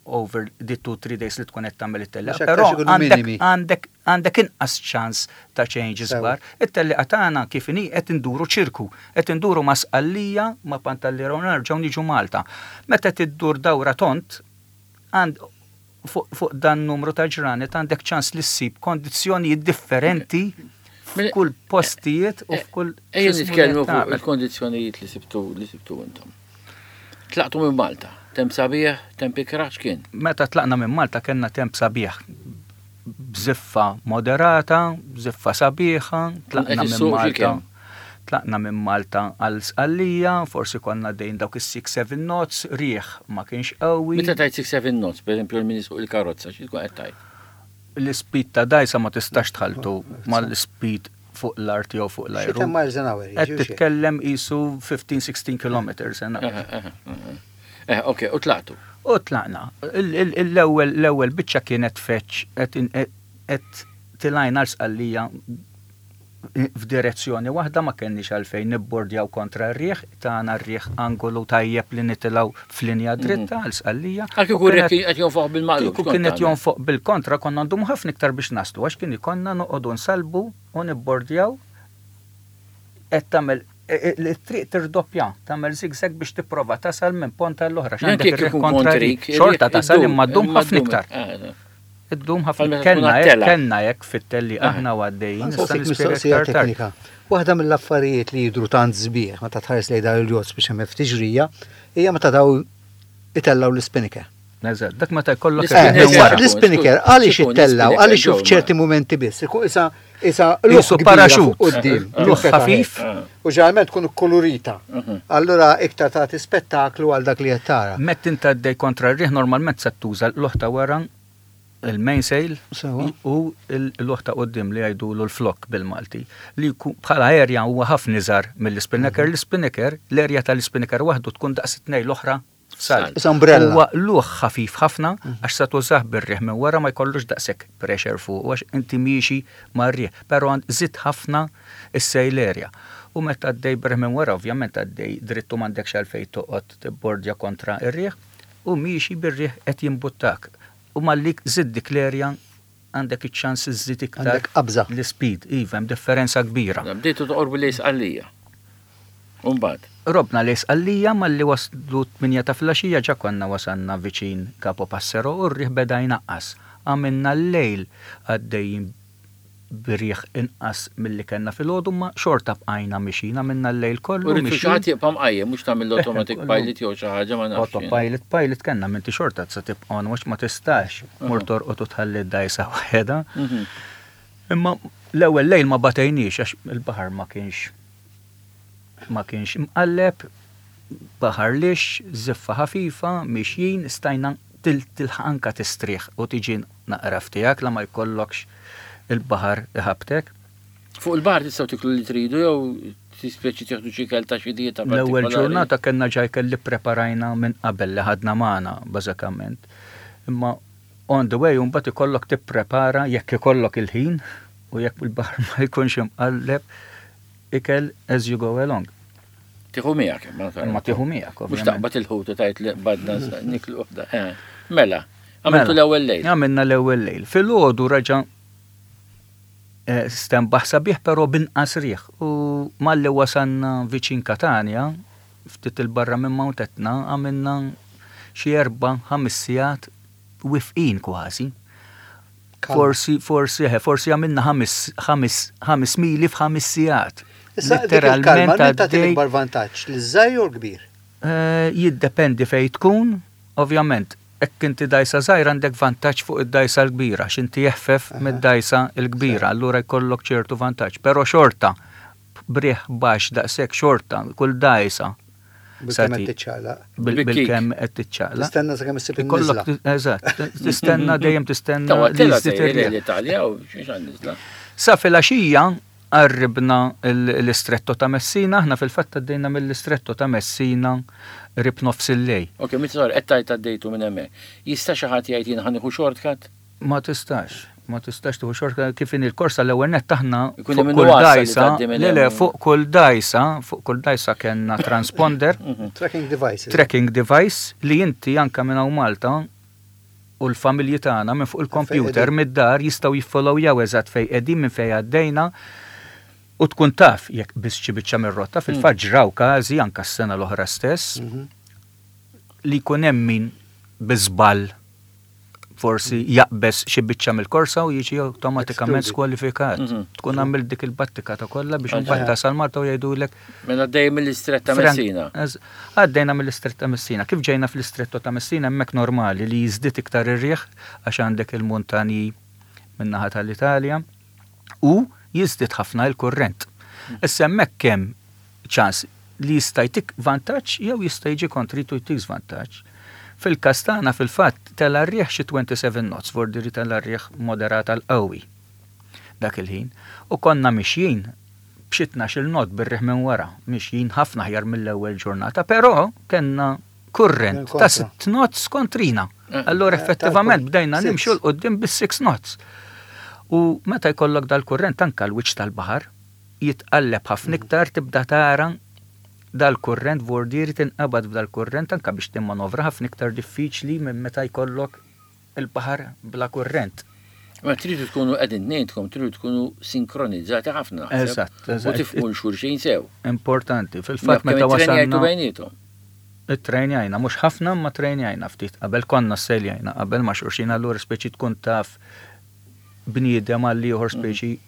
over the two, three days li tkun qed tagħmel it-tellieqa, Mhux aktar però ikunu għandek minimi. għandek għandek inqas ċans ta' changes Sewa. kbar. It-tellieqa tagħna kif inhi qed induru ċirku, qed induru ma' Sqallija, ma' Pantelleria, nerġgħu niġu Malta. Meta tiddur dawra tont, għand fuq fuq dan numru ta' ġranet għandek ċans li ssib kondizzjonijiet differenti f'kull postijiet u f'kull Ejja x'ismu nitkellmu li fuq tagħmel. il-kondizzjonijiet li sibtu li sibtu intom. Tlaqtu minn Malta, temp sabiħ, temp ikraħ, x'kien? Meta tlaqna minn Malta kellna temp sabiħ, bżiffa moderata, bżiffa sabiħa, tlaqna Qed minn issuq xi Malta. kemm? Tlaqna minn Malta għal Sqallija, forsi konna dejn dawk is-sitta seba' knots, riħ ma kienx qawwi. Meta tajt sitta seba' knots, per esempio, l-min isuq il-karozza, xi tkun qed tajt? L-speed ta' dajsa ma tistax tħaltu mal-speed fuq l-art jew fuq Xi l-ajru. ten miles an hour. Qed titkellem qisu ħmistax sittax kilometers an hour. Aha, aha, aha. Eh, ok, u tlaqtu. U tlaqna. Il- il- L-ewwel l-ewwel biċċa kienet feċ qed in- qed- qed tilajna l-Sqallija f'direzzjoni waħda, ma kenniex għalfejn nibbordjaw kontra r-riħ, tagħna r-riħ angolu tajjeb li nitilgħu f'linja dritta għal Sqallija. Għal kieku U kienet- r-riħ qed jonfoħ bil-maqlub. Kieku x'kont kienet tagħmel? jonfoq bil-kontra konna ndumu ħafna iktar biex naslu, għax kien ikonna noqogħdu nsalbu u nibbordjaw, qed tagħmel e- e- it-triq tirdoppja, tagħmel zigzag biex tipprova tasal minn ponta l-oħra. Jan Għandek kieku ir-riħ ikun kontra kontrik, rik, xorta ir-riħ tasal iddum, imma ddum imma ħafna ddum. iktar. Ah, Iddum Bħal ħafna. meta tkun Kellna hekk, għat-tela. kellna hekk fit-telli Ah. aħna u għaddejjin. Nista' Nsaqsik nispjega mistoqsija iktar tard. teknika. Waħda mill-affarijiet li jidru tant sbieħ meta tħares lejn dawn il-yachts biex hemm ftiġrija hija meta daw itellaw l-spinnaker. Eżatt, dak meta jkollok L-spinnaker. ir-riħ minn wara. Eh, L-spinnaker għaliex Xikun, ittellaw, l-spinnaker għaliex ġew, f'ċerti momenti biss. Ikun isa isa Qisu luħ kbira paraxut. fuq quddiem. Luħ tinfetaħ ħafif. hekk. U ġeneralment tkun kolorita. Allura iktar tagħti spettaklu għal dak li qed tara. Meta inti għaddej kontra r-riħ normalment se tuża l-luħ ta' wara, il-mainsail, Sewa. u l-luħ ta' quddiem li jgħidulu l-flok bil-Malti. Li jkun bħala area huwa ħafna iżgħar mill-spinnaker. L-spinnaker, l-area tal-spinnaker waħdu tkun daqs it-tnejn l-oħra sal. Is umbrella. Huwa luħ ħafif ħafna għax sa tużah bir-riħ minn wara, ma jkollux daqshekk pressure fuq għax inti miexi mar-riħ, però għand żid ħafna is-sail area. U meta għaddej bir minn wara, ovvjament għaddej drittu, m'għandekx għalfejn toqgħod tibbordja kontra ir-riħ u miexi bir-riħ qed jimbuttak. U malli żid dik l-area għandek iċ-ċans iżżid iktar Għandek qabża. l-speed, iva, hemm differenza kbira. Bdejtu toqorbu lejn Sqallija. Umbagħad. Robna lejn Sqallija, malli waslu tmienja ta' filgħaxija ġa konna wasanna viċin Capo Passero u r-riħ beda jnaqqas. Għamilna l-lejl għaddejjin b'riħ inqas milli kellna filgħodu, ma xorta bqajna mixin, għamilna l-lejl U kollu rridu xi mixin. ħadd jibqa' mqajjem, mhux tagħmel l-automatic Kollu. pilot jew xi ħaġa, ma nafx. jien. Autopilot, pilot kellna, minti xorta sa tibqa' on watch, ma tistax mur torqod u tħalli d-dajsa waħedha. Mhm. Imma l-ewwel lejl ma batejniex għax il-baħar ma kienx ma kienx mqalleb, baħar lix, żiffa ħafifa, mixjin, stajna til tilħaq anka tistrieħ u tiġi naqra f'tiegħek la ma jkollokx il-baħar iħabtek. Fuq il-baħar tistgħu tiklu li tridu jew tispeċi tieħdu xi ikel ta' xi dieta L-ewwel partikolari? ġurnata kellna ġaj kelli preparajna minn qabel li ħadna magħna bażikament. Imma on the way mbagħad ikollok tipprepara jekk ikollok il-ħin u jekk il-baħar ma jkunx imqalleb ikel as you go along. Tieħu miegħek, imma Imma tieħu miegħek, Mhux ovvjament. taqbad il-ħut u tajt li badna niklu waħda. Eh, Mela, għamiltu Mela, l-ewwel lejl. Għamilna l-ewwel lejl. Filgħodu raġa' eh, stenbaħ sabiħ però binqas riħ. U malli wasanna viċin Katania, ftit il-barra minn Mount Etna, għamilna xi erba' ħames sigħat wifqin kważi. Kalma. Forsi, forsi, eħe, forsi għamilna ħames, ħames, ħames mili f'ħames sigħat. Issa dik il-kalma, Literalment min tagħti għaddej. l-ikbar vantaġġ, l-żgħir jew l-kbir? Eh, Jiddependi fej tkun, ovvjament, hekk inti dajsa żgħira għandek vantaġġ fuq id-dajsa l-kbira, x'inti jeħfef mid-dajsa l-kbira, allura jkollok ċertu vantaġġ. Però xorta, b'riħ baxx daqshekk xorta, kull dajsa. Bil-kemm Sati- qed tiċċaqlaq. bil- Bil-kick. Bil-kemm qed tiċċaqlaq. Tistenna sakemm issib in-niżla. Ikollok, eżatt, tistenna dejjem tistenna Tawa li tela jiżdied sejjer ir-riħ. l-Italja u xiex għan-niżla. Sa filgħaxija qarribna l-istretto ta' Messina, aħna fil-fatt għaddejna mill-istretto ta' Messina qrib nofs il-lejl. Ok, mit sor, qed tajt għaddejtu minn hemmhekk. Jista' xi ħadd jgħid jien ħa nieħu shortcut? Ma tistax, ma tistax tieħu shortcut kif in il-korsa l-ewwel nett aħna Ikun fuq hemm kull nuqqas li dajsa, tgħaddi minn le le hemm. fuq kull dajsa, fuq kull dajsa kellna transponder, Tracking devices. tracking device li inti anka minn hawn Malta u l-familji tagħna minn fuq il-computer qegħdin. mid-dar jistgħu jiffollowjaw eżatt fejn qegħdin minn fejn għaddejna u tkun taf jekk biss xi biċċa mir-rotta fil-fatt ġraw każi anka s-sena l-oħra stess Mhm. li jkun hemm min bi żball forsi jaqbes xi biċċa mill-korsa u jiġi awtomatikament Excluded. skwalifikat. Mhm. Tkun għamil dik il-battika ta' kollha biex Aha. imbagħad tasal Malta u jgħidulek Mela għaddej mill-istretta ta' Frank- Messina. Ez- Għaddejna mill-istretta Messina. Kif ġejna fl-istretto ta' Messina hemmhekk normali li jiżdied iktar ir-riħ għax għandek il-muntanji min-naħa tal-Italja u jiżdied ħafna il-kurrent. Issa hemmhekk kemm ċans li jista' jtik vantaġġ jew jista' jiġi kontritu jtik żvantaġġ. Fil-każ tagħna fil-fatt tela r-riħ xi twenty-seven knots, vordiri tela r-riħ moderat għal qawwi dak il-ħin. U konna mixjin b'xi tnax-il knot bir-riħ minn wara, mixjin ħafna ħjar mill-ewwel ġurnata, però kellna kurrent Minn ta' kontra. sitt knots kontrina. Eh. Allora Eh, effettivament tal-punt. bdejna Six. nimxu 'l quddiem bis-six knots. U meta jkollok dal-kurrent anka l-wiċċ tal-baħar jitqalleb ħafna iktar, tibda tara dal-kurrent vordieri tinqabad f'dal-kurrent anka biex timmanovra ħafna iktar diffiċli minn meta jkollok il-baħar bla kurrent. Ma tridu tkunu qegħdin tnejnkom, tridu tkunu sinkronizzati ħafna. naħseb. Eżatt, U eżatt. tifhmu xulxin sew. Importanti. Fil-fatt meta Kemm itrenjajtu wasalna bejnietom. it-trejnjajna, mhux ħafna ma trejnjajna ftit. Qabel konna seljajna, qabel ma xulxin, allura speċi tkun taf bniedem għal ieħor speċi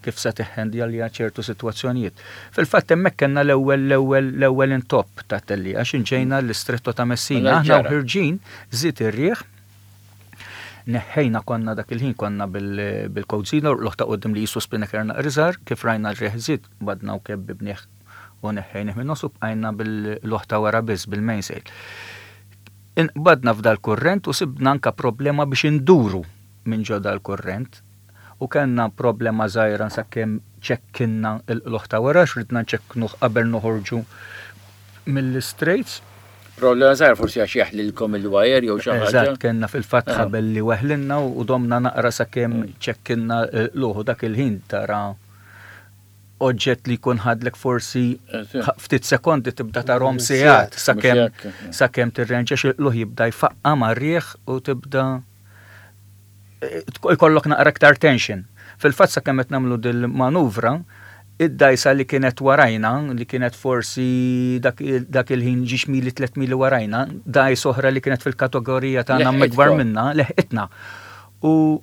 kif se tiħħendja ċertu sitwazzjonijiet. Fil-fatt hemmhekk kellna l-ewwel l-ewwel l-ewwel intopp ta' telli għax inġejna l-istretto ta' Messina. Mela Aħna ġara. ħirġin żied ir-riħ neħħejna konna dak il-ħin konna bil- bil-Code l ta' qoddim li jisu spinnaker naqriżar, kif rajna r-riħ żied, badna u kebbibnieh u neħħejnih minn nofs u bqajna bil-loħ ta' wara biss bil-mainsail. Inqbadna f'dal kurrent u sibna anka problema biex induru minn ġo dal kurrent u kellna problema żgħira sakemm ċekkinna l-loħ ta' wara x'ridna nċekknuh qabel noħorġu mill-straits. Problema żgħar forsi għax jaħlilkom il-wire jew xi ħaġa. Eżatt, kellna fil-fatt Ah. ħabel li weħlinna u domna naqra sakemm ċekkinna l-luħu dak il-ħin tara oġġett li jkun ħadlek forsi Eżatt. ħa- ftit sekondi tibda tarahom Sigħat. sigħat sakemm Mhux hekk. sakemm tirrenġa xi jibda jfaqqa mar-riħ u tibda eh, ikollok naqra iktar tension. Fil-fatt sakemm qed nagħmlu dil-manuvra, id-dajsa li kienet warajna, li kienet forsi dak, dak il-ħin ġiex mili tliet mili warajna, dajs oħra li kienet fil-kategorija tagħna Leħqitkom. mikbar minna, leħqitna. U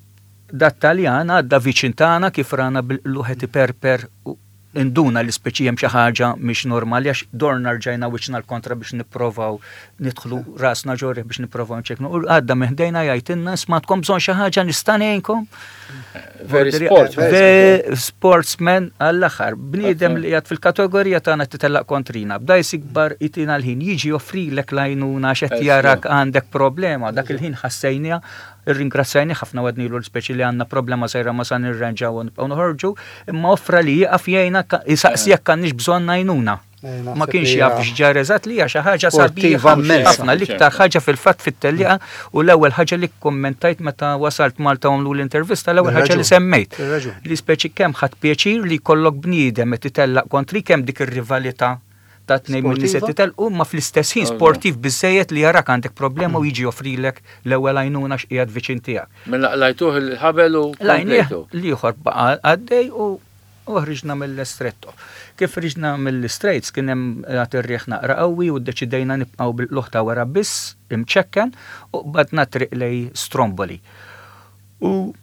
dat Taljan għadda viċin tagħna kif rana bil-luħet iperper u induna li speċi hemm xi ħaġa mhix normali għax dorna rġajna wiċċna l-kontra biex nipprovaw nidħlu rasna ġorri biex nipprovaw nċeknu. U għadda minn ħdejna jgħidilna smatkom bżonn xi ħaġa nista' ngħinkom. Very sport. Ve sportsman għall-aħħar. Bniedem li qiegħed fil-kategorija tagħna titellaq kontrina. B'dajs ikbar itina l-ħin jiġi joffrilek l-għajnuna x'qed jarak għandek problema. Dak il-ħin ħassejnija irringrazzajni ħafna għadnilu l-speċi li għandna problema żgħira ma sa nirranġaw u nibqgħu noħorġu, imma offra li jieqaf jgħinna jisaqsi jekk għandniex bżonn għajnuna. Eh, naħseb Ma kienx li jaf hija x'ġar eżatt li hija xi ħaġa sportiva sabiħa immensa. ħafna l-iktar ħaġa fil-fatt fit-tellieqa u l-ewwel ħaġa li kommentajt meta wasalt Malta u għamlu l-intervista l-ewwel ħaġa li Bir-raġun. semmejt. Bir-raġun. Li speċi kemm ħadd pjaċir li jkollok bniedem qed itellaq kontri kemm dik ir-rivalità ta' tnejn minn nies qed Sportiva? titellqu ma fl-istess ħin Ovvja. sportiv biżejjed li jarak għandek problema u jiġi joffrilek l-ewwel għajnuna x'qiegħed viċin tiegħek. Mela qlajtuh il-ħabel u Lajnieh komplejtu. l-ieħor baqa' għaddej u u ħriġna mill-estretto. Kif ħriġna mill-Straits kien hemm għad ir-riħ naqra qawwi u ddeċidejna nibqgħu bil-luħ ta' wara biss imċekken u badna triq lej Stromboli. U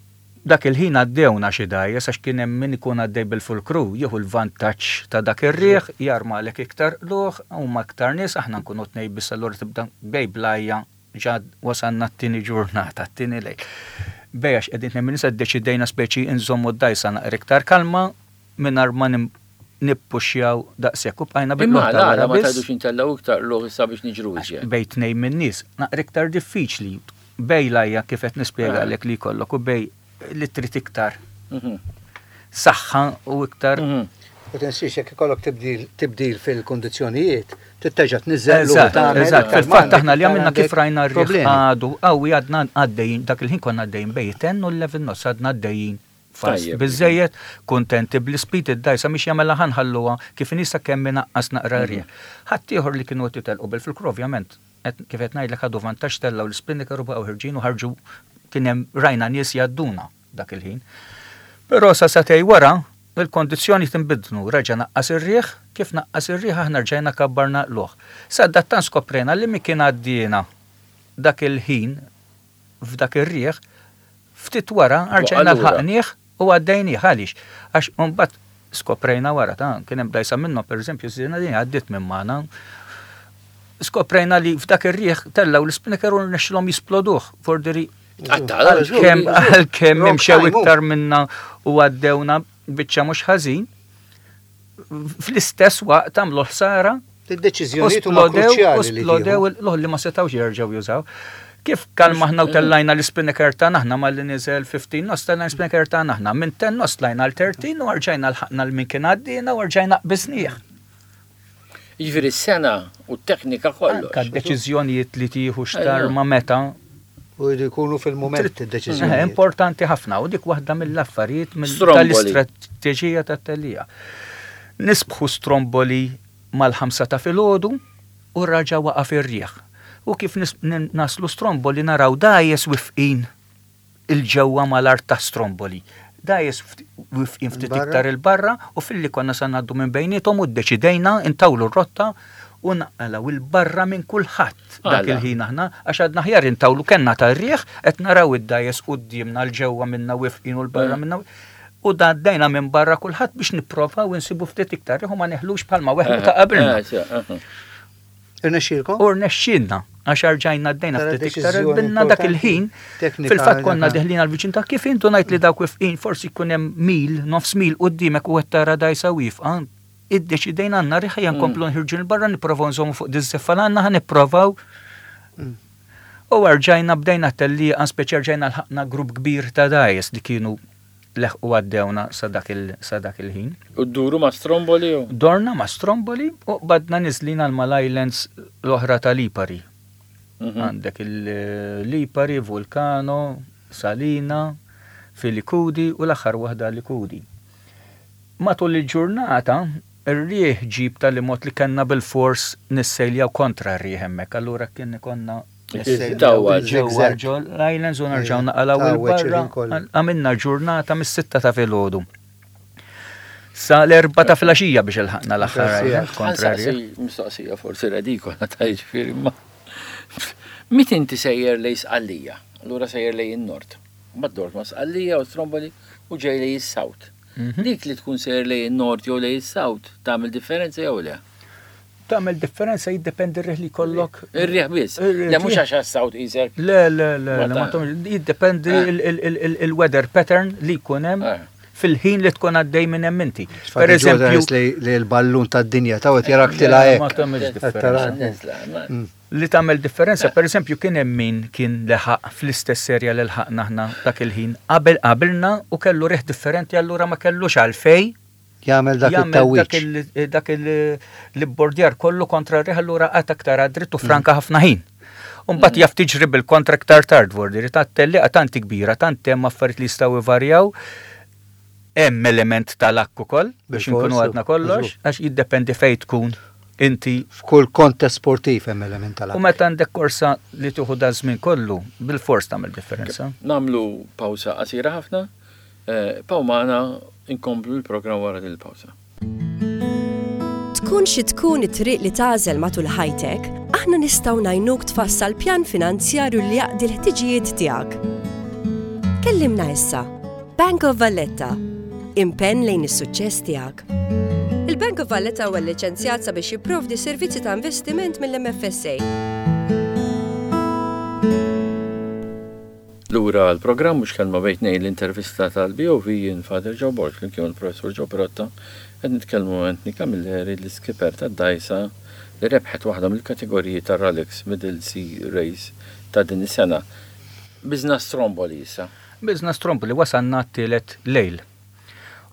Dak il-ħin għaddewna xi dgħajjes għax kien hemm min ikun għaddej bil-full crew, jieħu l-vantaġġ ta' dak ir-riħ, jarmalek iktar qlugħ, huma iktar nies, aħna nkunu tnejn biss, allura tibda bej blajja ġad wasanna t-tieni ġurnata, t-tieni lejl. Bej għax qegħdin tnejn nisa ddeċidejna speċi nżommu d-dgħajsa naqra iktar kalma mingħajr ma nim- nippuxjaw daqshekk u bqajna Imma bil-qlugħ ta' la, wara ma biss. tgħidux intellgħu iktar qlugħ issa biex niġru iżjed. Bej tnejn minn nies, naqra iktar diffiċli. Bej lajja kif qed nispjega Ah. lek li jkollok u bej li trid iktar Mhm. saħħa u iktar. Mhm. U tinsiex jekk ikollok tibdil tibdil fil-kondizzjonijiet, titteġa' tniżżel u Eżatt, tagħmel eżatt. iktar Fil-fatt m'għandek aħna li iktar għamilna kif għandek rajna r-riħ problemi. għadu qawwi, għadna għaddejjin, dak il-ħin konna għaddejjin bej ten u eleven knots, għadna għaddejjin fast. Tajjeb. Biżejjed, kuntenti bl-speed id-dgħajsa mhix jagħmel ħanħalluha kif nisa kemm inaqqas naqra rieħ. Ħadd ieħor li kienu qed jitelqu bil-full crew ovvjament, qed- kif qed ngħidlek, ħadu vantaġġ, tellgħu l-spinnaker u baqgħu ħirġin u ħarġu, kien hemm rajna nies jgħadduna dak il-ħin. Però sa sagħtejn wara il-kondizzjoni tinbidnu, reġa' naqqas ir-riħ, kif naqqas ir-riħ aħna rġajna kabbarna qlugħ. Sadattant skoprejna li min kien għaddiena dak il-ħin f'dak ir-riħ, ftit wara rġajna lura. lħaqnieh u għaddejnieh. Għaliex? Għax mbagħad skoprejna wara ta' kien hemm dgħajsa minnhom, pereżempju żina din għaddiet minn magħna. Skoprejna li f'dak ir-riħ tellgħu l-spinnaker u rnexxilhom jisploduh. Fordiri għalkemm għalkemm Wrong imxew time, iktar minna u għaddewna biċċa mhux ħażin, fl-istess waqt għamlu ħsara. Id-deċiżjonijiet huma Splodew, u kruċjali li splodew tieħu. l li ma setawx jerġgħu jużaw. Kif kalma aħna u tellajna l-spinnaker tagħna aħna malli niżel fifteen knots, tellajna l-spinnaker tagħna aħna minn ten knots tlajna l thirteen u rġajna lħaqna l min kien għaddina u rġajna qbiżnieh. Jiġifieri s-sena u t-teknika kollox. Anka d-deċiżjonijiet li tieħu xtar Ejja. ma meta. U jridu jkunu fil-mument Eh, id-deċiżjonijiet. Importanti ħafna u dik waħda mill-affarijiet mill- Stromboli. tal-istrateġija tat-tellija. Nisbħu Stromboli mal-ħamsa ta' filgħodu u raġa waqaf ir-riħ. U kif nis- nin- naslu Stromboli naraw dgħajjes wifqin il-ġewwa mal-art ta' Stromboli. Dgħajjes ft- wifqin ftit Barra. iktar il-barra u filli konna sa ngħaddu minn bejniethom u ddeċidejna intawlu r-rotta u naqalaw il-barra minn kulħadd dak Għala. il-ħin aħna għax għadna ħjar intawlu kenna tar-riħ, qed naraw id-dgħajjes quddiemna l-ġewwa minna wifqin u l-barra Eh. minna u għaddejna minn barra kulħadd biex nipprovaw insibu ftit iktar riħ u ma neħlux bħalma weħlu ta' qabilna. Eh, eh, eh. Irnexxielkom? U rnexxilna għax rġajna għaddejna Tara ftit iktar deċiżjoni binna dak importanti, il-ħin. teknika Fil-fatt konna dak. deħlin għal-viċin ta' kif intu ngħid li dawk wifqin forsi jkun hemm mil, nofs mil quddiemek u qed tara dgħajsa wifqa. Iddeċidejna għandna riħ ejja nkomplu nħirġu 'l barra nipprovaw nżommu fuq diż-żeffa l għandna, ħa nipprovaw. Mm. U rġajna bdejna tellieqa, speċi rġajna lħaqna grupp kbir ta' dgħajjes li kienu leħqu għaddewna sa dak il- sa dak il-ħin. U dduru ma' Stromboli u? Dorna ma' Stromboli u badna niżlin għal mal-islands l-oħra ta' Lipari. Mhm. Għandek il-Lipari, Vulcano, Salina, Filicudi u l-aħħar waħda Likudi. Matul il-ġurnata, ir-rieħ ġib tal-imot li kellna bil-fors nissejljaw kontra r-rieħ hemmhekk, allura kien konna Tawwal. ġewwa ġol l-islands u nerġgħu naqalgħu Tawweġ il-barra. il-ħin kollu. Għamilna ġurnata mis-sitta ta' filgħodu. Sa l-erba ta' filgħaxija biex ilħaqna l-aħħar Grazie. island kontra r-rieħ. Ħansaqsi mistoqsija forsi redikola ta' jiġifieri ma. Mit inti sejjer lejn Sqallija, allura sejjer lejn in-nord. Ma dort ma' Sqallija u Stromboli u ġej lejn is-south. Mhm. Dik li tkun sejjer lejn in-nord jew lejn is-south tagħmel differenza jew le? Tagħmel differenza, jiddependi r-riħ li jkollok. Ir-riħ biss. Ir-riħ. Le mhux għax għas-south isek. Le, le, le, Ma le, ma ta' tagħmel- jiddependi Eh. il- il- il- il-weather pattern li jkun hemm Eh. fil-ħin li tkun għaddej minn hemm inti. Per eżempju. Li l-ballun tad-dinja ta' għet jarak tila Ma hekk. tagħmilx differenza. Nizla, ma- Li tagħmel differenza, per eżempju, kien hemm min kien leħaq fl-istess serja li lħaqna aħna dak il-ħin qabel qabilna u kellu riħ differenti, allura ma kellux għalfej Jagħmel dak jagħmel dak it-tawwiċ. il- dak il- l-bordjar kollu kontra r-riħ, allura qatt aktar għad-dritt u franka ħafna ħin. Umbat jaf tiġri bil-kontra aktar tard vordiri, ta' tellieqa tanti kbira, tant hemm affarijiet li jistgħu ivarjaw. Hemm element tal-akk ukoll biex Bil-fors, inkunu għadna kollox, żgur. għax jiddependi fejn tkun inti. F'kull kontest sportiv hemm element tal U meta għandek korsa li tieħu da żmien kollu, bil-fors tagħmel differenza. Namlu pawsa qasira ħafna. Eh, Paw magħna, inkomplu l-programm wara din il-pawsa. Tkun xi tkun it-triq li tagħżel matul ħajtek, aħna nistgħu ngħinuk tfassal pjan finanzjarju li jaqdi l-ħtiġijiet tiegħek. Kellimna issa. Bank of Valletta. Impenn lejn is-suċċess tiegħek. Il-Bank of Valletta huwa liċenzjat sabiex jipprovdi servizzi ta' investiment mill-M F S A. Lura l-programm Mhux Kelma Bejn Tnejn, l-intervista tal-B O V, jien Father Joe Borg, kien il-Professor Joe Pirotta, qed nitkellmu Anthony Camilleri, l-skipper tad-dgħajsa li rebħet waħda mill-kategoriji tar-Rolex Middle Sea Race ta' din is-sena. Qbiżna Stromboli issa. Qbiżna Stromboli, wasalna t-tielet lejl.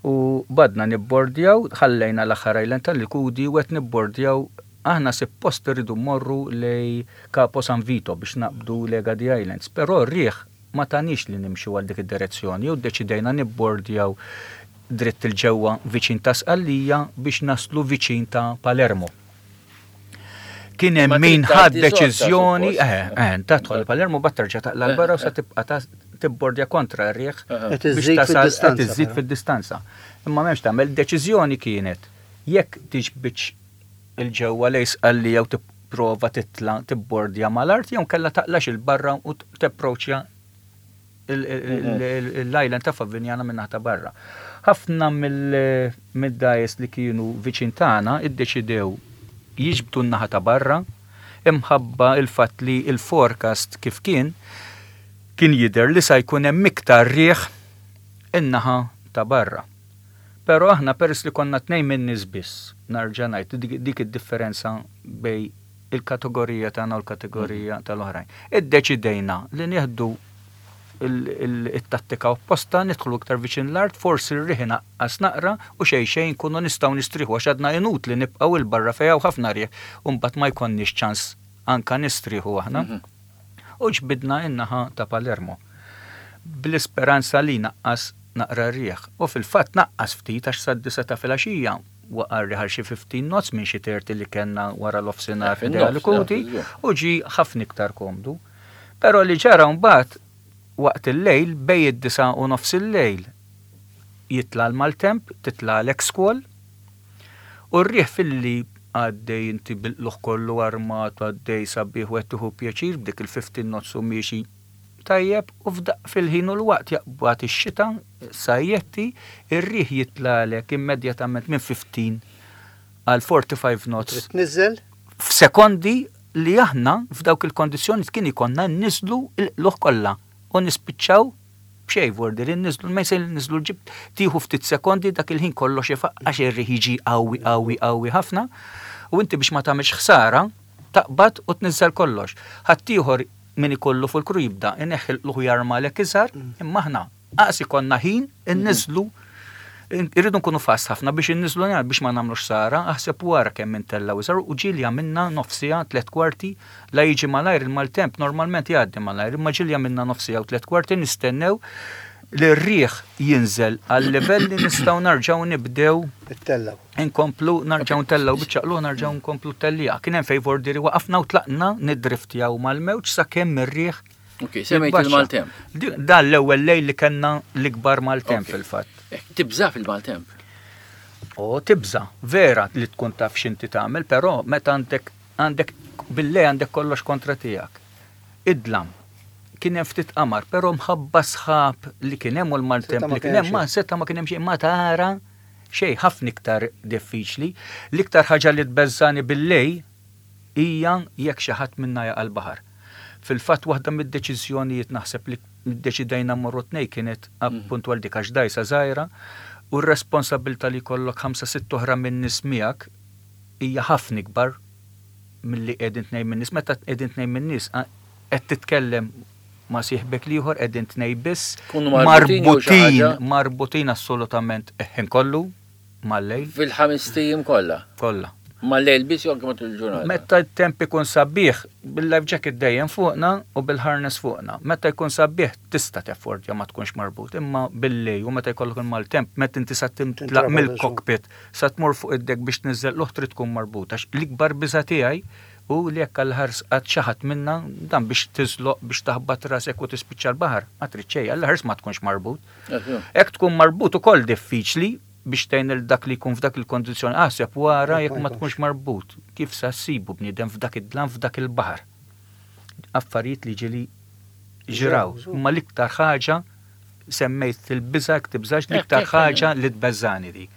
U bdejna nibbordjaw, ħallejna l-aħħar island tal-Likudi u qed nibbordjaw. Aħna suppost irridu mmorru lejn Capo San Vito biex naqbdu l-Egadi Islands, però r-riħ ma tanix li nimxu għal dik id-direzzjoni u ddeċidejna nibbordjaw dritt 'il ġewwa viċin ta' Sqallija biex naslu viċin ta' Palermo. Kien hemm Ma min trid ħad tgħaddi sotto, deċiżjoni, suppost. eh, eh, tadħol Palermo bat terġa' taqla' 'l barra u sa tibqa' ta' tibbordja kontra r-riħ Qed biex iżżid tasal fid-distanza, qed iżżid però. fid-distanza. Imma m'hemmx tagħmel, deċiżjoni kienet jekk tiġbidx 'il ġewwa lejn Sqallija u tipprova titla' tibbordja mal-art jew kella taqlax 'il barra u tapproċċja l-island ta' Favignana minn ta' barra. Ħafna mill-dgħajjes li kienu viċin tagħna iddeċidew jiġbdu n-naħa ta' barra imħabba il-fatt li il-forecast kif kien kien jidher li sa jkun hemm iktar riħ in-naħa ta' barra. Però aħna, peress li konna tnejn minn nies biss, narġa' ngħid dik, dik id-differenza bejn il-kategorija tagħna u l-kategorija tal-oħrajn. Iddeċidejna li nieħdu il-tattika opposta, nidħlu iktar viċin l-art, forsi r-riħ inaqqas naqra u xejn xejn nkunu nistgħu nistriħu, għax għadna inutli nibqgħu 'il barra fejn hawn ħafna riħ u mbagħad ma jkollniex ċans anka nistriħu aħna. U ġbidna in-naħa ta' Palermo bl-isperanza li naqqas naqra rieħ. U fil-fatt naqqas ftit, għax sad-disgħa ta' filgħaxija waqa' riħ xi fifteen knots minn xi thirty li kellna wara l-offsinar Fin-nofs, Likudi ja, u ġi ħafna iktar komdu. Però li ġara mbagħad waqt il-lejl, bejn id-disgħa u nofs il-lejl, jitla' l-maltemp, titla' l-squall u r-riħ filli għaddej, inti bil-luħ kollu armat, għaddej sabiħ u qed tieħu pjaċir b'dik il-fifteen knots u miexi tajjeb, u f'daq fil-ħin u l-waqt jaqbad ix-xita, sajjetti, ir-riħ jitlalek immedjatament minn fifteen għal forty-five knots Trid tniżżel? f'sekondi, li aħna f'dawk il-kondizzjoni kien ikollna nniżżlu l-qlugħ kollha u nispiċċaw b'xejn. Vordi li nniżżlu l-mainsail, nniżżlu l-jib, tieħu ftit sekondi, dak il-ħin kollox għax ir-riħ jiġi qawwi qawwi qawwi ħafna u inti biex ma tagħmilx ħsara taqbad u tniżżel kollox. Ħaddieħor min ikollu fuq il-crew jibda ineħħi l-qlugħ, jarmalek iżgħar, imma aħna qas ikollna ħin inniżżlu, irridu nkunu fast ħafna biex inniżżlu biex ma nagħmlux ħsara, aħseb wara kemm intellgħu iżgħar u ġieli għamilna nofs siegħa, tliet kwarti, la jiġi malajr il-maltemp, normalment jgħaddi malajr, imma ġieli għamilna nofs siegħa u tliet kwarti nistennew li r-riħ jinżel għal livell li nistgħu narġgħu nibdew Ittellgħu. inkomplu narġgħu ntellgħu biċċa qlugħ, narġgħu nkomplu tellija. Kien hemm fejn vordiri waqafna u tlaqna nidriftjaw mal-mewġ sakemm ir-riħ Ok, semmejt jitbaxxa. il-maltemp. Di- Dan l-ewwel lejl li kellna l-ikbar maltemp Ok. fil-fatt. Eh, Tibża fil-maltemp. O tibża, vera li tkun taf x'inti tagħmel, però meta għandek għandek billej għandek kollox kontra tiegħek. Idlam. Kien hemm ftit qamar, però mħabba sħab li kien hemm u l-maltemp Seta ma li kien kien hemm ma seta ma kien hemm xejn, ma tara xejn, ħafna iktar diffiċli. L-iktar ħaġa li tbeżżani billejl hija jekk xi ħadd minna jaqa' l-baħar. Fil-fatt waħda mid-deċiżjonijiet naħseb li ddeċidejna mmorru tnejn kienet appunt għal dik, għax dgħajsa żgħira u r-responsabilità li jkollok ħamsa sitt oħra minn nies miegħek hija ħafna ikbar milli qegħdin tnejn minn nies. Meta qegħdin tnejn minn nies, qed titkellem ma' sieħbek l-ieħor, qegħdin tnejn biss. Kunu marbutin jew xi ħaġa? Marbutin, marbutin assolutament ħin kollu mal-lejl. Fil-ħames tijiem kollha. Kollha. Mal-lejl biss jew anke matul il-ġurnata? Meta t-temp ikun sabiħ, bil-life jacket dejjem fuqna u bil-harness fuqna. Meta jkun sabiħ tista' teffordja ma tkunx marbut, imma bil-lejl u meta jkollok il-maltemp, meta inti sa timtlaq Tintrabaq mill-cockpit, sa tmur fuq id-deck biex tniżżel l trid tkun marbut. Għax l-ikbar biża tiegħi u li jekk għall-ħars qatt xi ħadd minna dan biex tiżloq biex taħbat rasek u tispiċċa l-baħar, ma trid xejn, għall-ħars ma tkunx marbut. Jekk tkun marbut ukoll diffiċli biex tgħin il dak li jkun f'dak il-kondizzjoni, aħseb wara jekk ma tkunx marbut. Kif sa ssibu bniedem f'dak id-dlam f'dak il-baħar? Affarijiet li ġieli ġraw. Ġraw, Imma l-iktar ħaġa Semmejt il-biża', tibżax, l-iktar ħaġa li tbeżżani dik.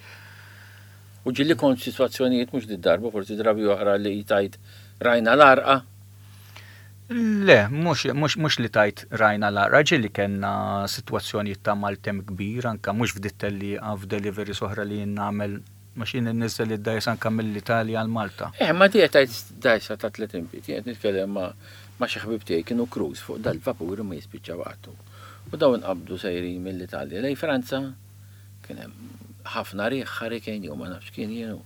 U ġieli kont situazzjonijiet, mhux darba, forsi drabi oħra, li tgħid rajna l-għarqa? Le, mhux, mhux, mhux li tgħid rajna l-għarqa, ġieli kellna situazzjonijiet ta' maltemp kbir, anka mhux f'dit-tellieqa, f'deliveries oħra li jien nagħmel, mhux jien inniżżel id-dgħajjes anka mill-Italja għal Malta. Eh, ma di tgħid dgħajsa ta' tletin pied, jien nitkellem ma' ma' xi ħbib tiegħi kienu cruise fuq dal-vapur ma jispiċċaw għattu. U dawn inqabdu sejrin mill-Italja lejn Franza, kien hemm ħafna riħ, hurricane jew ma nafx kien jienu.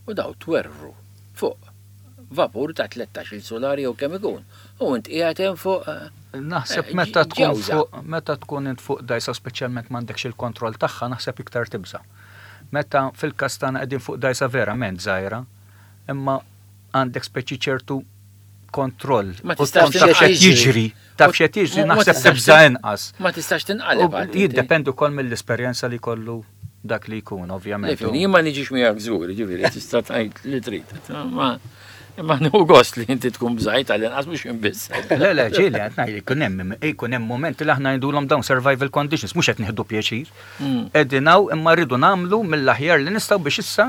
U daw twerru fuq vapur ta' tlettax-il sular jew kemm ikun. U int qiegħed hemm fuq eh, Naħseb Eh, meta tkun ġewża. fuq meta tkun int fuq dgħajsa, speċjalment m'għandekx il-kontroll tagħha, naħseb iktar tibża. Meta fil-każ tagħna qegħdin fuq dgħajsa verament żgħira, imma għandek speċi ċertu kontroll. Ma U tistax tkun taf x'qed tinqaleb. jiġri, taf x'qed jiġri, Ma- ma naħseb tistax tibża tin- inqas. Ma tistax U tinqaleb għad inti. jiddependi wkoll mill-esperjenza li kollu dak li jkun, ovvjament. Lifin, jien ma niġix miegħek żgur, ġifieri tista' tgħid li trid. Ma imma nieħu gost li inti tkun bżajt għal-inqas mhux inbiss. Le, le, ġieli, qed ngħid, jkun hemm jkun hemm momenti li aħna ngħidulhom dawn survival conditions, mhux qed nieħdu pjaċir. Mm. Qegħdin hawn imma rridu nagħmlu mill-aħjar li nistgħu biex issa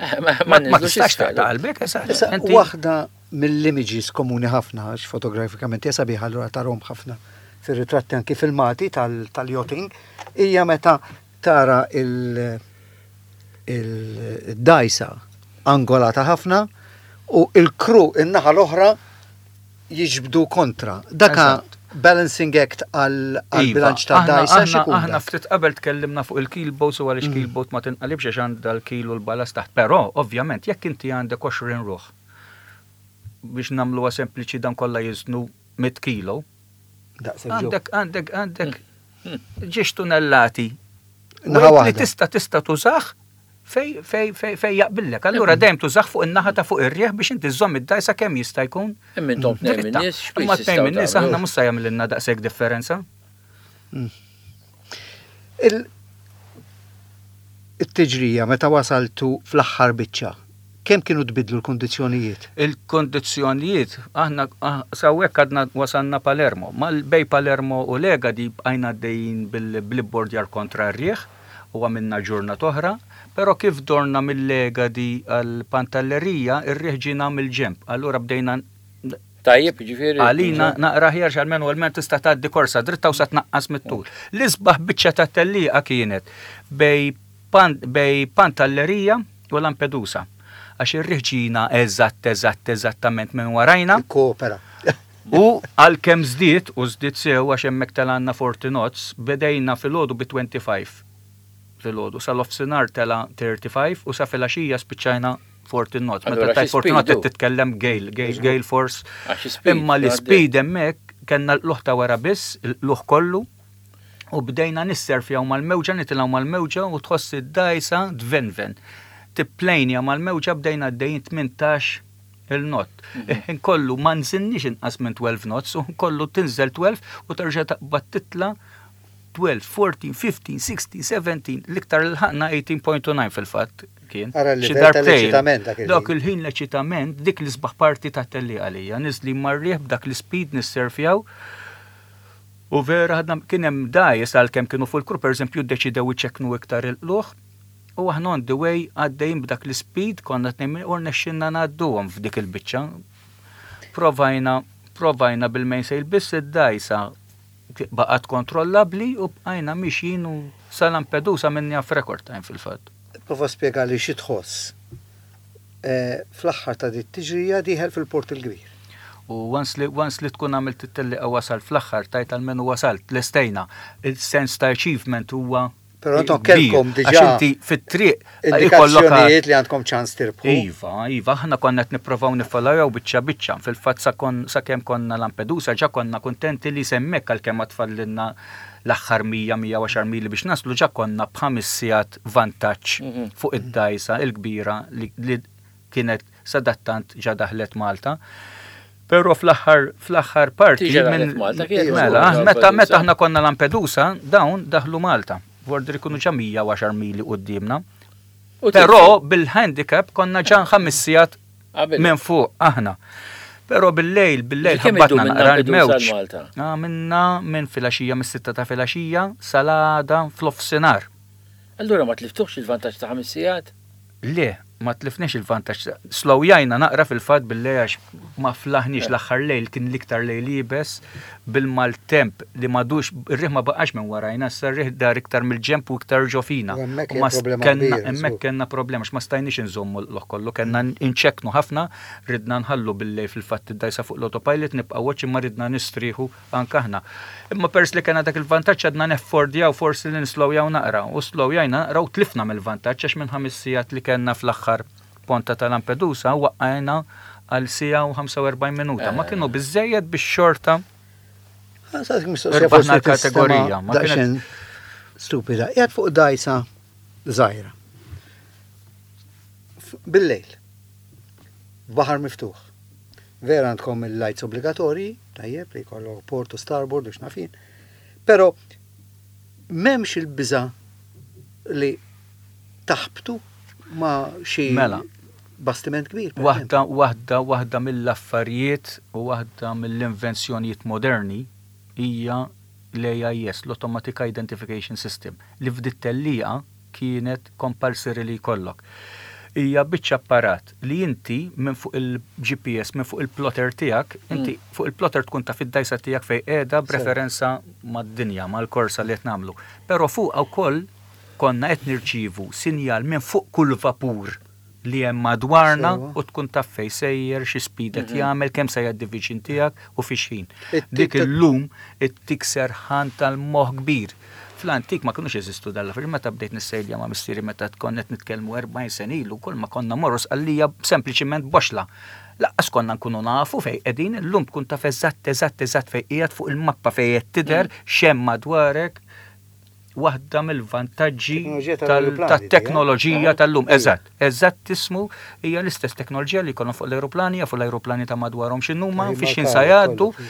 Ma ma ma ninżlux tistax isfel. taqta' qalbek, eżatt. Issa, Inti- waħda mill-images komuni ħafna, għax fotografikament hija sabiħa, allura tarahom ħafna fir-ritratti, anki filmati tal- tal-yachting, hija meta tara il- il-dgħajsa angolata ħafna u il-crew in-naħa l-oħra jiġbdu kontra. Daka Eżatt. balancing act għal Iva, bilanċ ta' aħna- dgħajsa aħna- x'ikun Aħna dak? ftit qabel tkellimna fuq il-keelboat u għaliex keelboat ma tinqalibx għax għandha l-keel u l-ballast taħt. Però, ovvjament, jekk inti għandek għoxrin ruħ, biex nagħmluha sempliċi, dan kollha jiżnu mitt kilo, Daqshekk ġew. għandek għandek għandek ġiex tunnellati Naħa weight li waħda. tista' tista' tużah fej fej fej fej jaqbillek. Allura dejjem tużah fuq in-naħa ta' fuq ir-rieħ biex inti żżomm id-dgħajsa kemm jista' jkun Imma intom tnejn dritta. min-nies x'piż Imma tnejn tistgħu min-nies aħna tagħmlu? mhux se jagħmlilna daqshekk differenza. Il- It-tiġrija meta wasaltu fl-aħħar biċċa, kemm kienu tbidlu l-kondizzjonijiet? Il-kondizzjonijiet, aħna ah, sawwek għadna wasalna Palermo. Mal bejn Palermo u Egadi bqajna għaddejjin bil-bordjar kontra r-rieħ u għamilna ġurnata oħra, però kif dorna mill-Egadi għal Pantellerija, ir-rieħ ġina mill-ġemp. Allura bdejna Tajjeb, ġifieri. għalina naqra ħjar, għalmenu għalmen tista' tgħaddi korsa dritta u sa tnaqqas mit-tul. L-isbaħ biċċa ta' tellieqa kienet bejn pan, bejn Pantellerija u Lampedusa. Għax ir-riħ ġina eżatt, eżatt, eżattament minn warajna. Koopera. U għalkemm żdied, u żdied sew għax hemmhekk telgħalna forty knots, bedejna filgħodu bi twenty-five filgħodu, sal-nofsinhar tela thirty-five u sa filgħaxija spiċċajna forty knots. Meta Allura tajt xi forty knots speed qed titkellem gale, gale, gale force. Għax speed, Imma li għaddej. speed hemmhekk kellna l-qlugħ ta' wara biss, l-qlugħ kollu, u bdejna nisserfjaw mal-mewġa, nitilgħu mal-mewġa u tħoss id-dgħajsa tvenven. Tipplejnja mal-mewġa, bdejna għaddejjin tmintax il-knot. Mhm. Kollu ma nżilniex inqas minn twelve knots u kollu tinżel tnax u terġa' taqbad titla tnax, fourteen, fifteen, sixteen, seventeen, l-iktar l-ħakna eighteen point nine fil-fatt kien. Ara Xi l-livell darbtejn. tal-eċitament dak il-ħin. Dak il-ħin l-eċitament, dik l-isbaħ parti ta' tellieqa għalija, niżli mar-riħ b'dak l-speed nisserfjaw. U vera ħadna, kien hemm dgħajjes għalkemm kienu fuq il-crew, pereżempju, ddeċidew iċekknu iktar il-qlugħ u aħna on the way għaddejjin b'dak l-speed konna tnejn u rnexxinna ngħadduhom f'dik il-biċċa. Provajna, provajna bil-mainsail biss, id-dgħajsa baqgħet kontrollabbli u bqajna mixjin u sa Lampedusa minni f'record time fil-fatt. Prova spjega li xi tħoss eh, fl-aħħar ta' dit tiġrija dieħel fil-Port il-Kbir. U once li, once li tkun għamilt it-tellieqa wasal fl-aħħar, tgħid almenu wasalt, lestejna. Il-sens ta' achievement huwa Però intom kbir, kellkom diġà għax inti fit-triq ikollok indikazzjonijiet li għandkom ċans tirbħu. Iva, iva, aħna konna qed nipprovaw niffollowjaw biċċa biċċa. Fil-fatt sa kon sakemm konna Lampedusa ġa konna kuntenti li s'hemmhekk, għalkemm tfadlilna l-aħħar mija, mija u għaxar mili biex naslu, ġa konna b'ħames sigħat vantaġġ Mhm. fuq id-dgħajsa il-kbira li, li kienet sadattant ġa daħlet Malta. Però fl-aħħar fl-aħħar parti Diġà daħlet Malta, kienet mela, żgur, meta Lampedusa. meta aħna konna Lampedusa, dawn daħlu Malta. Vorder ikunu ġa mija u għaxar mili quddiemna. U Però bil-handicap konna ġa ħames sigħat Qabel. minn fuq aħna. Però bil-lejl, bil-lejl Kemm ħabbatna idum minn naqra Lampedusa l-mewġ. l-Malta? Għamilna minn filgħaxija, mis-sitta ta' filgħaxija sal-għada f'nofsinhar. Allura ma tliftuħx il-vantaġġ ta' ħames sigħat? Le, ma tlifniex il-vantaġġ. Slowjajna naqra fil-fatt bil-lejl għax ma flaħniex. L-aħħar lejl kien l-iktar lejl iebes bil-maltemp li m'għadux, ir-riħ ma baqax minn warajna, issa r-riħ dar iktar mill-ġemp u iktar ġo fina. U hemmhekk U ma hija problema kellna- kbira, Hemmhekk żgur. kellna problema għax ma stajniex inżommu l kollu, kellna inċeknu ħafna, ridna nħallu bil-lejl fil-fatt id-dajsa fuq l-autopilot, nibqa' watch imma ridna nistrieħu anke aħna. Imma pers li kellna dak il-vantaġġ għadna neffordjaw forsi li nislowjaw naqra u slowjajna naqra u tlifna mill-vantaġġ għax minn ħames sigħat li kellna fl-aħħar ponta ta' Lampedusa waqqajna għal siegħa u ħamsa u erbgħin minuta. Ma kienu biżejjed biex xorta Irbaħna l-kategorija, ma kienet- Daqsxejn stupida. Qiegħed fuq dajsa żgħira. F- Bil-lejl. Baħar miftuħ. Vera għandkom il-lights obbligatorji, tajjeb li jkollok port u starboard u x'naf jien. Però m'hemmx il-biża li taħbtu ma' xi Mela. bastiment kbir, per Waħda, waħda, waħda mill-affarijiet u waħda mill-invenzjonijiet moderni hija l-A I S, l-Automatic Identification System, li f'dit-tellieqa kienet compulsory li jkollok. Hija biċċa apparat li inti minn fuq il-G P S, minn fuq il-plotter tiegħek, inti fuq il-plotter tkun taf id-dajsa tiegħek fejn qiegħda b'referenza mad-dinja, mal-korsa li qed nagħmlu. Però fuq wkoll konna qed nirċievu sinjal minn fuq kull vapur li hemm madwarna Sewa. u tkun taf fejn sejjer, xi speed qed jagħmel, kemm se jgħaddi viċin tiegħek u fi xħin. It-tip Dik ta' illum ittik serħan tal-moħħ kbir. Fl-antik ma kinux jeżistu dal-affarijiet. Meta bdejt nissejlja ma' missieri, meta tkun qed nitkellmu erbgħin sena ilu, kull ma konna morru Sqallija sempliċiment boxla. Lanqas konna nkunu nafu fejn qegħdin. Illum tkun taf eżatt eżatt eżatt fejn qiegħed fuq il-mappa, fejn qed tidher x'hemm madwarek. Waħda mill-vantaġġi Teknoloġija tal- tal-aeroplani, tat-teknoloġija eh? tal-lum. Eżatt, eżatt tismu hija l-istess teknoloġija li jkollhom fuq l-aeroplani, fuq l-aeroplani ta' madwarhom x'inhuma, Ej, fi x'ħin markaw sa jgħaddu, kollu.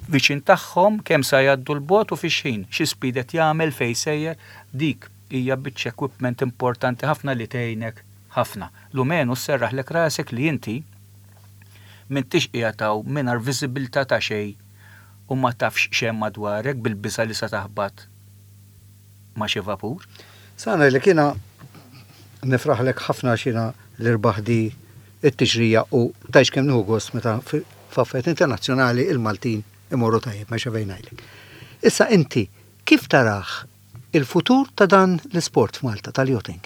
viċin tagħhom, kemm sa jgħaddu l-bot u fi x'ħin, xi speed qed jagħmel, fejn sejjer, dik hija biċċa equipment importanti ħafna li tgħinek ħafna. Lumenu sserraħlek rasek li inti m'intix qiegħed hawn mingħajr viżibilità ta' xejn u ma tafx x'hemm madwarek bil-biża li se taħbat ma' xi vapur. Sana li kiena nifraħlek ħafna xina l-irbaħ di it-tiġrija u tajx kemm nieħu gost meta fi- f'affarijiet internazzjonali il-Maltin imorru tajjeb, ma xavejn ngħidlek. Issa inti kif taraħ il-futur ta' dan l-isport f'Malta tal-yachting?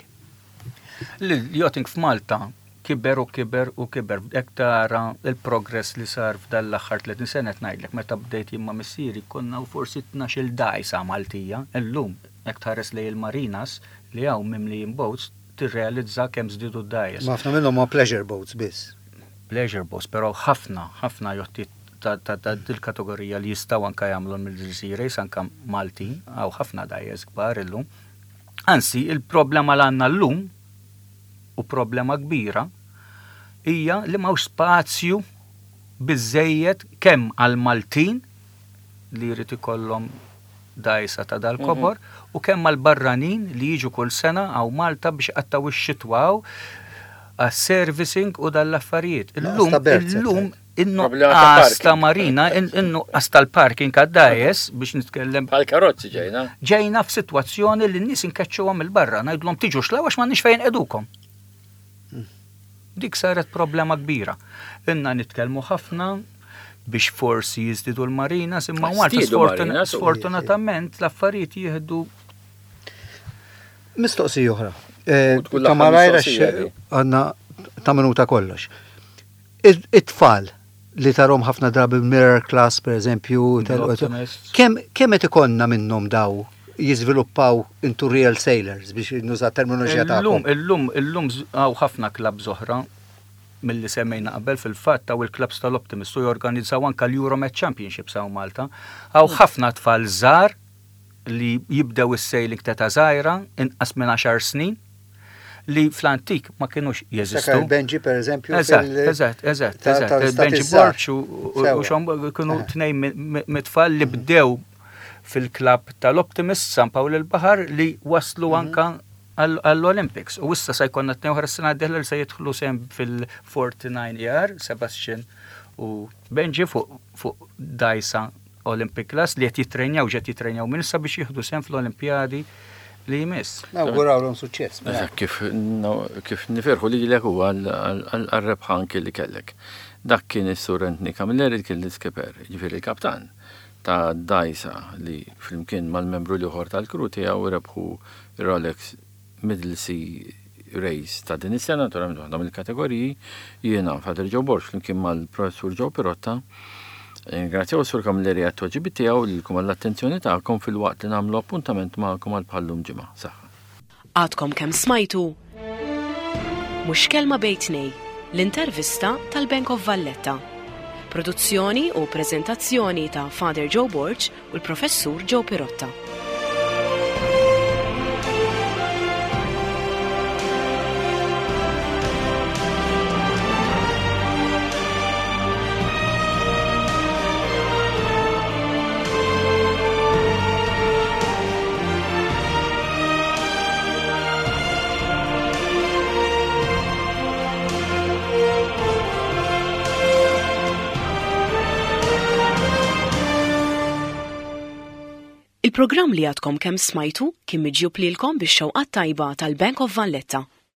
L-yachting f'Malta kiber u kiber u kiber. Jekk tara il-progress li sar f'dan l-aħħar tletin sena, qed ngħidlek, meta bdejt jien ma' missieri konna u forsi tnax-il dajsa Maltija. Illum jekk tħares lejn il-marinas li hawn mimlijin boats tirrealizza kemm żdiedu d-dajjes. Ma ħafna minnhom ma pleasure boats biss. Pleasure boats, però ħafna, ħafna jotti ta' ta' ta' dil-kategorija li jistgħu anka jagħmlu mill-Sea Race anka Maltin, hawn ħafna dajjes kbar illum. Anzi, il-problema l għandna llum u problema kbira hija li m'hawnx spazju biżejjed kemm għal Maltin li jrid ikollhom dajsa ta' dal-kobor u kemm għal barranin li jiġu kull sena hawn Malta biex qattaw ix-xitwa hawn għas-servicing u dal-affarijiet. Illum, ta' berth, illum, Problema ta' in-nuqqas ta' parking. marina, in-nuqqas tal-parking għad-dajes biex nitkellem Bħal karozzi ġejna. Ġejna f'sitwazzjoni li n-nies inkeċċuhom il-barra, ngħidulhom tiġu xlaw għax m'għandniex fejn edukom. Dik saret problema kbira. Inna nitkellmu ħafna biex forsi jiżdiedu l-marinas, imma Malta Żdiedu sfortun- marinas, u- sfortunatament l-affarijiet jieħdu Mistoqsija oħra. Eh, U tkun Ta' l-aħħar malajr mistoqsija għax di. għandna ta' minuta kollox. It- It-tfal li tarahom ħafna drabi mirror class, per eżempju, tal- L-Optimists. kemm kemm qed ikollna minnhom daw jiżviluppaw into real sailors, biex nuża terminoloġija Illum, tagħkom? illum, illum z- hawn ħafna clubs oħra mill-li semmejna qabel. Fil-fatt hawn il-clubs tal-Optimist u jorganizzaw anka l-Euromed Championships hawn Malta. Hawn ħafna tfal żgħar li jibdew is-sailing ta' ta' żgħira, inqas minn għaxar snin, li fl-antik ma kienux jeżistu. Sakar Benji, per eżempju. Eżatt, fil- eżatt, eżatt, ta- eżatt. tal-Stati Benji Żgħar. Borch u- u Sewa. u xom kienu Eh. tnejn mi- mi- mit-tfal li bdew fil-klab tal-Optimist San Pawl il-Bahar li waslu Mhm. anka għall-Olympics. U issa se jkollna tnejn oħra s-sena d-dieħla li se jidħlu sem fil-forty-nine E R, Sebastian u Benji fuq fuq dgħajsa Olympic Class li qed jitrenjaw ġed jitrenjaw minn issa biex jieħdu sehem fl-Olimpjadi li jmiss. Nawgurawlhom suċċess. Mela. Eżatt, kif, no, kif nifirħu li lilek u għal-rebħa anki li kellek. Dak kien is-Sur Anthony Camilleri kien l-iskipper, ġifieri il-kaptan ta' dgħajsa li flimkien mal-membru l-ieħor tal-crew tiegħu rebħu Rolex Middle Sea Race ta' din is-sena, naturalment waħda mill-kategoriji, jiena Father Joe Borg flimkien mal-Professur Joe Pirotta. Ringrazzjaw Sur Camilleri għat-tweġibiet tiegħu lilkom għall-attenzjoni tagħkom filwaqt li nagħmlu appuntament magħkom għal bħal-lum ġimgħa. Saħħa. Għadkom kemm smajtu Mhux Kelma Bejn Tnejn, l-intervista tal-Bank of Valletta. Produzzjoni u prezentazzjoni ta' Father Joe Borg u l-Professur Joe Pirotta. Il-programm li għadkom kemm smajtu kien miġjub lilkom bix-xewqat tajba tal-Bank of Valletta.